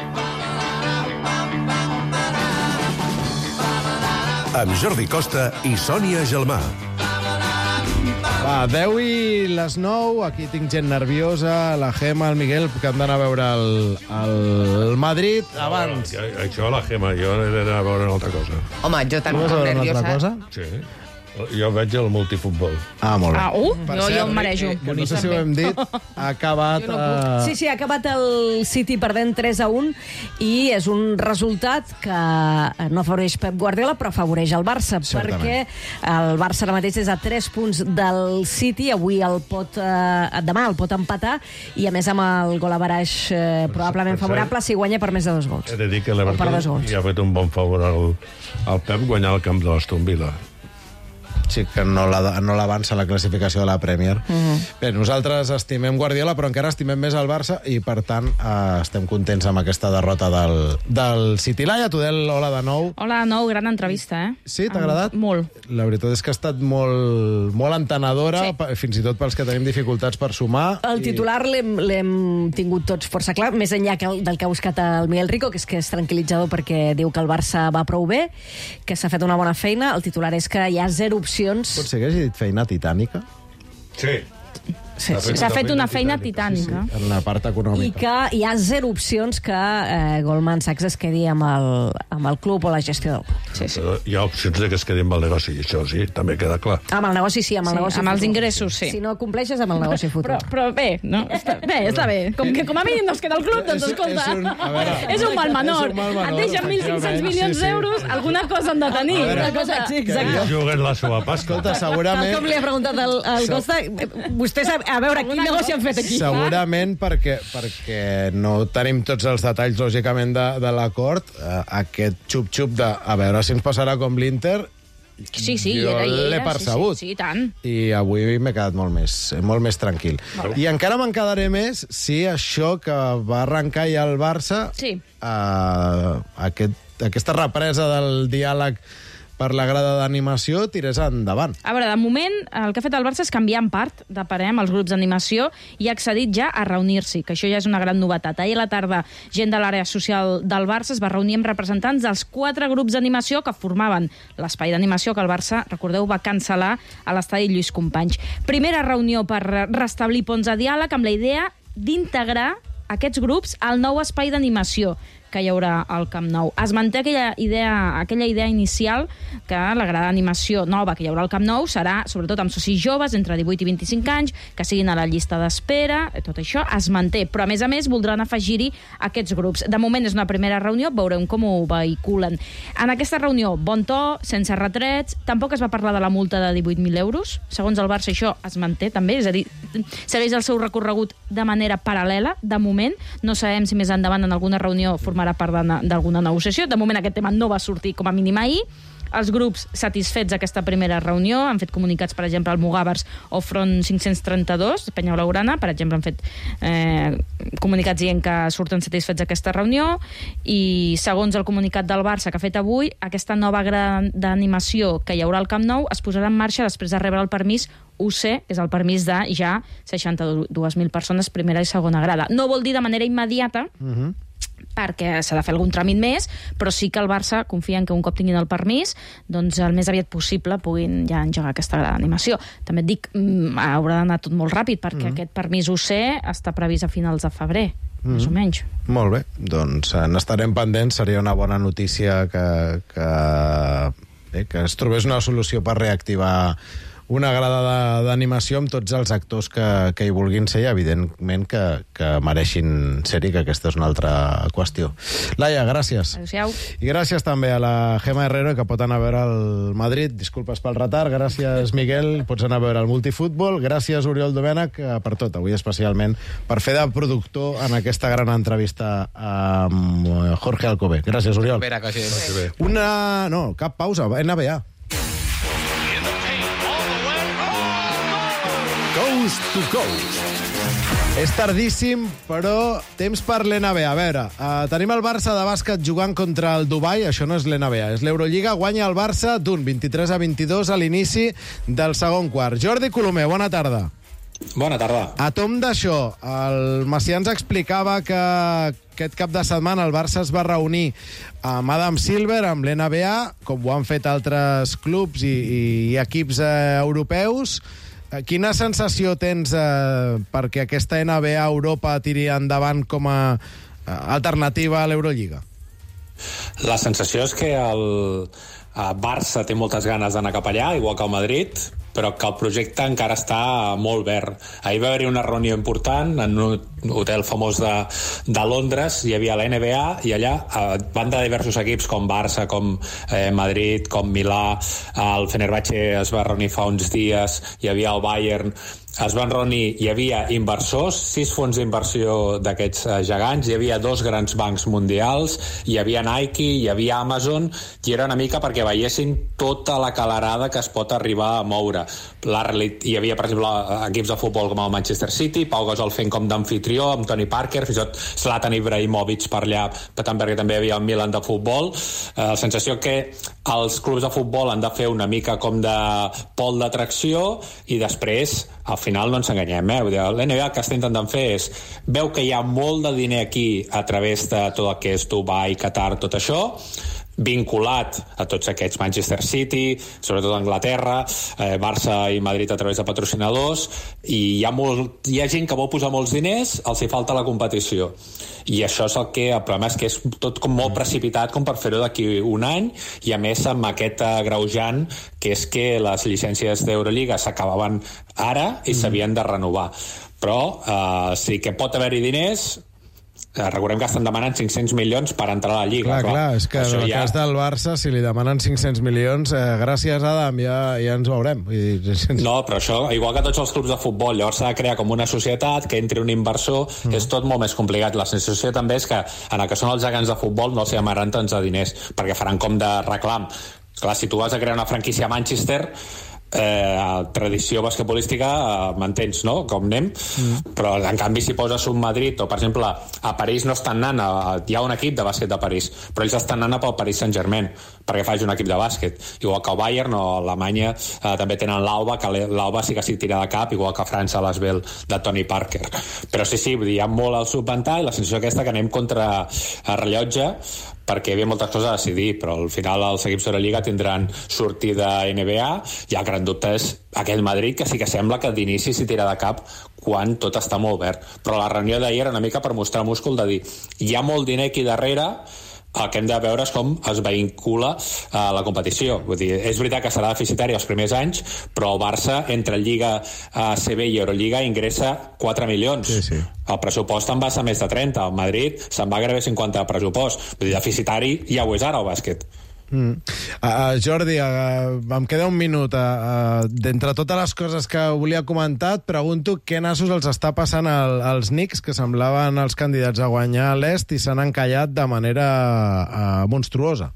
Amb Jordi Costa i Sònia Gelmà. Va, deu i les nou, aquí tinc gent nerviosa, la Gemma, el Miguel, que han d'anar a veure el, el Madrid abans. No, això, la Gemma, jo he d'anar a veure una altra cosa. Home, jo Tu tan vas a veure una nerviosa. altra cosa? Sí. Jo veig el multifutbol. Ah, molt bé. Ah, uh, jo, jo em marejo. Que no sé si ho hem dit, ha acabat... No uh... Sí, sí, ha acabat el City perdent tres a un i és un resultat que no afavoreix Pep Guardiola, però afavoreix el Barça, Certament. perquè el Barça ara mateix és a tres punts del City, avui el pot, eh, demà el pot empatar, i a més amb el gol averaix eh, probablement favorable si guanya per més de dos gols. He de dir que l'Everton ja ha fet un bon favor al, al Pep guanyar el camp de l'Aston Villa. Sí, que no l'avança la, no la classificació de la Premier. Mm-hmm. Bé, nosaltres estimem Guardiola, però encara estimem més el Barça i, per tant, eh, estem contents amb aquesta derrota del, del City. Laia Tudel, hola de nou. Hola de nou, gran entrevista, eh? Sí, t'ha agradat? Molt. La veritat és que ha estat molt, molt entenedora, sí. Fins i tot pels que tenim dificultats per sumar. El titular i... l'hem tingut tots força clar, més enllà que el, del que ha buscat el Miguel Rico, que és que és tranquil·litzador perquè diu que el Barça va prou bé, que s'ha fet una bona feina. El titular és que hi ha zero opcions. Pot ser que hagi dit feina titànica? Sí. Sí, sí. S'ha fet una feina titànica. Sí, sí, en la part econòmica. I que hi ha zero opcions que eh, Goldman Sachs es quedi amb el, amb el club o la gestió del club. Sí, sí. Hi ha opcions de que es quedi amb el negoci, i això sí, també queda clar. Amb el negoci sí, amb el sí, negoci amb futur. els ingressos, sí. Si no compleixes, amb el negoci futur. Però, però bé, no? Està, bé, està bé. Com que com a mínim no es queda el club, doncs escolta, és un, veure, és un mal menor. Un mal menor. Et deixen mil cinc-cents milions sí, sí. d'euros, alguna cosa han de tenir. A veure, cosa, sí, exacte. Juguen la seva pasta. Escolta, segurament... Tal com li ha preguntat al, al Costa, vostè sap, a veure, quin negoci han fet aquí? Segurament perquè, perquè no tenim tots els detalls, lògicament, de, de l'acord. Eh, aquest xup-xup de a veure si ens passarà com l'Inter, sí, sí, jo l'he percebut. Sí, sí, sí, tant. I avui m'he quedat molt més, molt més tranquil. Molt I encara me'n quedaré més si això que va arrencar ja el Barça, sí. eh, aquest, aquesta represa del diàleg per la grada d'animació, tirés endavant. A veure, de moment, el que ha fet el Barça és canviar en part de parer amb els grups d'animació i ha accedit ja a reunir-s'hi, que això ja és una gran novetat. Ahir a la tarda, gent de l'àrea social del Barça es va reunir amb representants dels quatre grups d'animació que formaven l'espai d'animació que el Barça, recordeu, va cancel·lar a l'estadi Lluís Companys. Primera reunió per restablir ponts de diàleg amb la idea d'integrar aquests grups al nou espai d'animació que hi haurà al Camp Nou. Es manté aquella idea, aquella idea inicial que la grada d'animació nova que hi haurà al Camp Nou serà, sobretot amb socis joves, entre divuit i vint-i-cinc anys, que siguin a la llista d'espera, tot això es manté. Però, a més a més, voldran afegir-hi aquests grups. De moment és una primera reunió, veurem com ho vehiculen. En aquesta reunió, bon to, sense retrets, tampoc es va parlar de la multa de divuit mil euros. Segons el Barça, això es manté també, és a dir, segueix el seu recorregut de manera paral·lela, de moment. No sabem si més endavant en alguna reunió formarà part d'alguna negociació. De moment aquest tema no va sortir com a mínim ahir. Els grups satisfets d'aquesta primera reunió han fet comunicats, per exemple, al Mugàvers o Front cinc-cents trenta-dos, Penya Blaugrana, per exemple, han fet eh, comunicats dient que surten satisfets d'aquesta reunió, i segons el comunicat del Barça que ha fet avui, aquesta nova grada d'animació que hi haurà al Camp Nou es posarà en marxa després de rebre el permís U C, és el permís de ja seixanta-dues mil persones, primera i segona grada. No vol dir de manera immediata, uh-huh. perquè s'ha de fer algun tràmit més, però sí que el Barça confia en que un cop tinguin el permís, doncs el més aviat possible puguin ja engegar aquesta grada d'animació. També et dic, haurà d'anar tot molt ràpid, perquè mm. aquest permís U C està previst a finals de febrer, mm. més o menys. Molt bé, doncs eh, n'estarem pendents, seria una bona notícia que, que, bé, que es trobés una solució per reactivar una grada d'animació amb tots els actors que, que hi vulguin ser i, evidentment, que, que mereixin ser-hi, que aquesta és una altra qüestió. Laia, gràcies. Adéu-siau. I gràcies també a la Gemma Herrero, que pot anar a veure el Madrid. Disculpes pel retard. Gràcies, Miguel. Pots anar a veure el multifutbol. Gràcies, Oriol Domènech, per tot. Avui especialment per fer de productor en aquesta gran entrevista amb Jorge Alcover. Gràcies, Oriol. Espera, quasi. Una... No, cap pausa. N B A. Coast to Coast. És tardíssim, però temps per l'N B A. A veure, uh, tenim el Barça de bàsquet jugant contra el Dubai. Això no és l'N B A, és l'Eurolliga. Guanya el Barça d'un vint-i-tres a vint-i-dos a l'inici del segon quart. Jordi Colomer, bona tarda. Bona tarda. A tom d'això, el Macià ens explicava que aquest cap de setmana el Barça es va reunir amb Adam Silver, amb l'N B A, com ho han fet altres clubs i, i equips eh, europeus. Quina sensació tens eh, perquè aquesta N B A Europa tiri endavant com a eh, alternativa a l'Eurolliga? La sensació és que el, Barça té moltes ganes d'anar cap allà, igual que el Madrid, però que el projecte encara està molt verd. Ahir va haver-hi una reunió important en un hotel famós de, de Londres, hi havia la N B A i allà eh, van de diversos equips com Barça, com eh, Madrid, com Milà, el Fenerbahçe es va reunir fa uns dies, hi havia el Bayern, es van reunir, hi havia inversors, sis fons d'inversió d'aquests eh, gegants, hi havia dos grans bancs mundials, hi havia Nike, hi havia Amazon, i era una mica perquè veiessin tota la calarada que es pot arribar a moure. La realitat, hi havia, per exemple, equips de futbol com el Manchester City, Pau Gasol fent com d'amfitrió, amb Tony Parker, fins i tot Zlatan Ibrahimovic per allà, per tant, perquè també hi havia el Milan de futbol. Eh, la sensació que els clubs de futbol han de fer una mica com de pol d'atracció i després, al final no ens enganyem, eh? L'N B A el que està intentant fer és, veu que hi ha molt de diner aquí a través de tot el que és Dubai, Qatar, tot això, vinculat a tots aquests Manchester City, sobretot Anglaterra, eh, Barça i Madrid a través de patrocinadors, i hi ha, molt, hi ha gent que vol posar molts diners, els hi falta la competició. I això és el que, el problema és que és tot com molt precipitat com per fer-ho d'aquí un any, i a més amb aquest agreujant que és que les llicències d'Eurolliga s'acabaven ara i s'havien de renovar. Però eh, sí que pot haver-hi diners. Recordem que estan demanant cinc-cents milions per entrar a la Lliga. Clar, clar, clar, és que en el ja... cas del Barça, si li demanen cinc-cents milions, eh, gràcies, Adam, ja, ja ens veurem. No, però això, igual que tots els clubs de futbol, llavors s'ha de crear com una societat, que entri un inversor, mm. és tot molt més complicat. La sensació també és que en el que són els gegants de futbol no s'hi amaran tants de diners, perquè faran com de reclam. Clar, si tu vas a crear una franquícia a Manchester, eh, tradició basquetbolística, eh, m'entens, no? Com anem, mm. però en canvi si poses un Madrid o per exemple a París no estan anant a, hi ha un equip de bàsquet de París, però ells estan anant pel Paris Saint-Germain perquè faci un equip de bàsquet, igual que el Bayern o Alemanya eh, també tenen l'Alba, que l'Alba sí que s'hi tira de cap, igual que a França l'Asvel de Tony Parker, però sí, sí, vull dir, hi ha molt al subventar i la sensació aquesta que anem contra el rellotge, perquè hi havia moltes coses a decidir, però al final els equips de la Lliga tindran sortida N B A i el gran dubte és aquell Madrid que sí que sembla que d'inici s'hi tira de cap quan tot està molt verd. Però la reunió d'ahir era una mica per mostrar múscul de dir hi ha molt diner aquí darrere, el que hem de veure és com es vincula a la competició. Vull dir, és veritat que serà deficitari els primers anys, però el Barça, entre Lliga A C B i Eurolliga, ingressa quatre milions. Sí, sí. El pressupost en va ser més de trenta. El Madrid se'n va gairebé cinquanta de pressupost. Vull dir, deficitari ja ho és ara, el bàsquet. Mm. Uh, Jordi, uh, em queda un minut. Uh, D'entre totes les coses que volia comentar, et pregunto què nassos els està passant al, als Knicks, que semblaven els candidats a guanyar l'Est i s'han encallat de manera uh, monstruosa.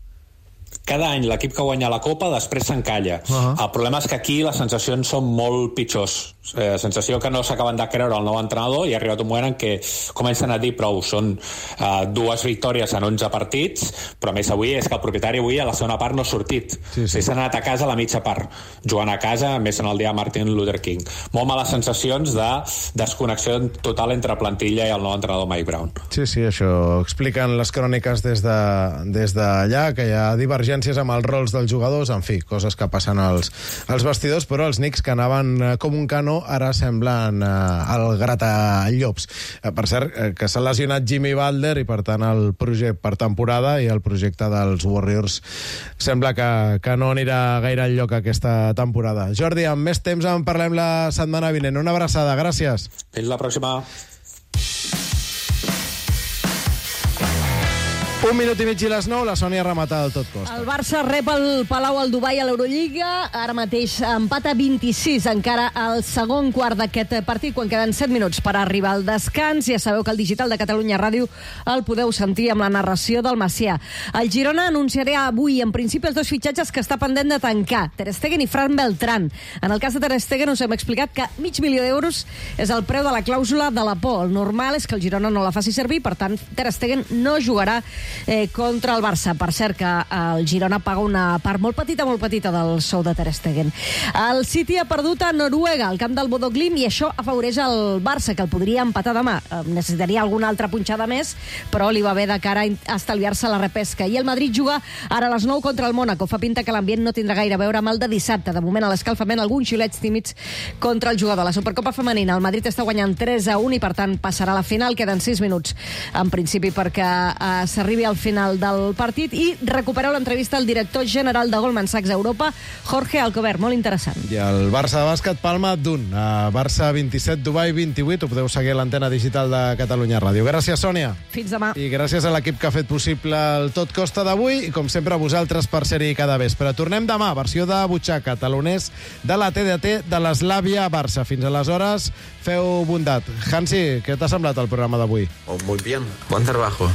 Cada any l'equip que guanya la Copa després s'encalla. Uh-huh. El problema és que aquí les sensacions són molt pitjors. Eh, sensació que no s'acaben de creure el nou entrenador i ha arribat un moment en què comencen a dir prou, són eh, dues victòries en onze partits, però a més avui és que el propietari avui a la segona part no ha sortit. Sí, sí. S'ha anat a casa a la mitja part, jugant a casa, més en el dia de Martin Luther King. Molt males sensacions de desconnexió total entre plantilla i el nou entrenador Mike Brown. Sí, sí, això expliquen les cròniques des de, des d'allà, que hi ha divergències amb els rols dels jugadors, en fi, coses que passen als, als vestidors, però els Knicks que anaven eh, com un canó ara semblen eh, el gratallops. Eh, per cert, eh, que s'ha lesionat Jimmy Butler i per tant el projecte per temporada i el projecte dels Warriors sembla que, que no anirà gaire enlloc aquesta temporada. Jordi, amb més temps en parlem la setmana vinent. Una abraçada, gràcies. Fins la pròxima. Un minut i mig i les nou, la Sònia remata del tot costa. El Barça rep el Palau al Dubai a l'Eurolliga, ara mateix empat a vint-i-sis, encara al segon quart d'aquest partit, quan queden set minuts per arribar al descans. Ja sabeu que el digital de Catalunya Ràdio el podeu sentir amb la narració del Macià. El Girona anunciarà avui, en principi, els dos fitxatges que està pendent de tancar, Ter Stegen i Fran Beltrán. En el cas de Ter Stegen us hem explicat que mig milió d'euros és el preu de la clàusula de la por. El normal és que el Girona no la faci servir, per tant, Ter Stegen no jugarà Eh, contra el Barça. Per cert que el Girona paga una part molt petita, molt petita del sou de Ter Stegen. El City ha perdut a Noruega, al camp del Bodø Glimt, i això afavoreix el Barça, que el podria empatar demà. Eh, necessitaria alguna altra punxada més, però li va bé de cara a estalviar-se la repesca. I el Madrid juga ara a les nou contra el Mónaco. Fa pinta que l'ambient no tindrà gaire a veure amb el de dissabte. De moment, a l'escalfament, alguns xulets tímids contra el jugador. La Supercopa femenina, el Madrid està guanyant tres a un i, per tant, passarà a la final. Queden sis minuts, en principi, perquè eh, s'arribi avui al final del partit, i recupereu l'entrevista al director general de Goldman Sachs Europa, Jorge Alcover, molt interessant. I el Barça de bàsquet palma d'un. A Barça vint-i-set, Dubai vint-i-vuit. Ho podeu seguir a l'antena digital de Catalunya Ràdio. Gràcies, Sònia. Fins demà. I gràcies a l'equip que ha fet possible el Tot Costa d'avui i, com sempre, a vosaltres per ser-hi cada vespre. Tornem demà, versió de butxaca, taloners de la T D T de l'Eslàvia Barça. Fins aleshores, feu bondat. Hansi, què t'ha semblat el programa d'avui? Oh, muy bien. Buen trabajo.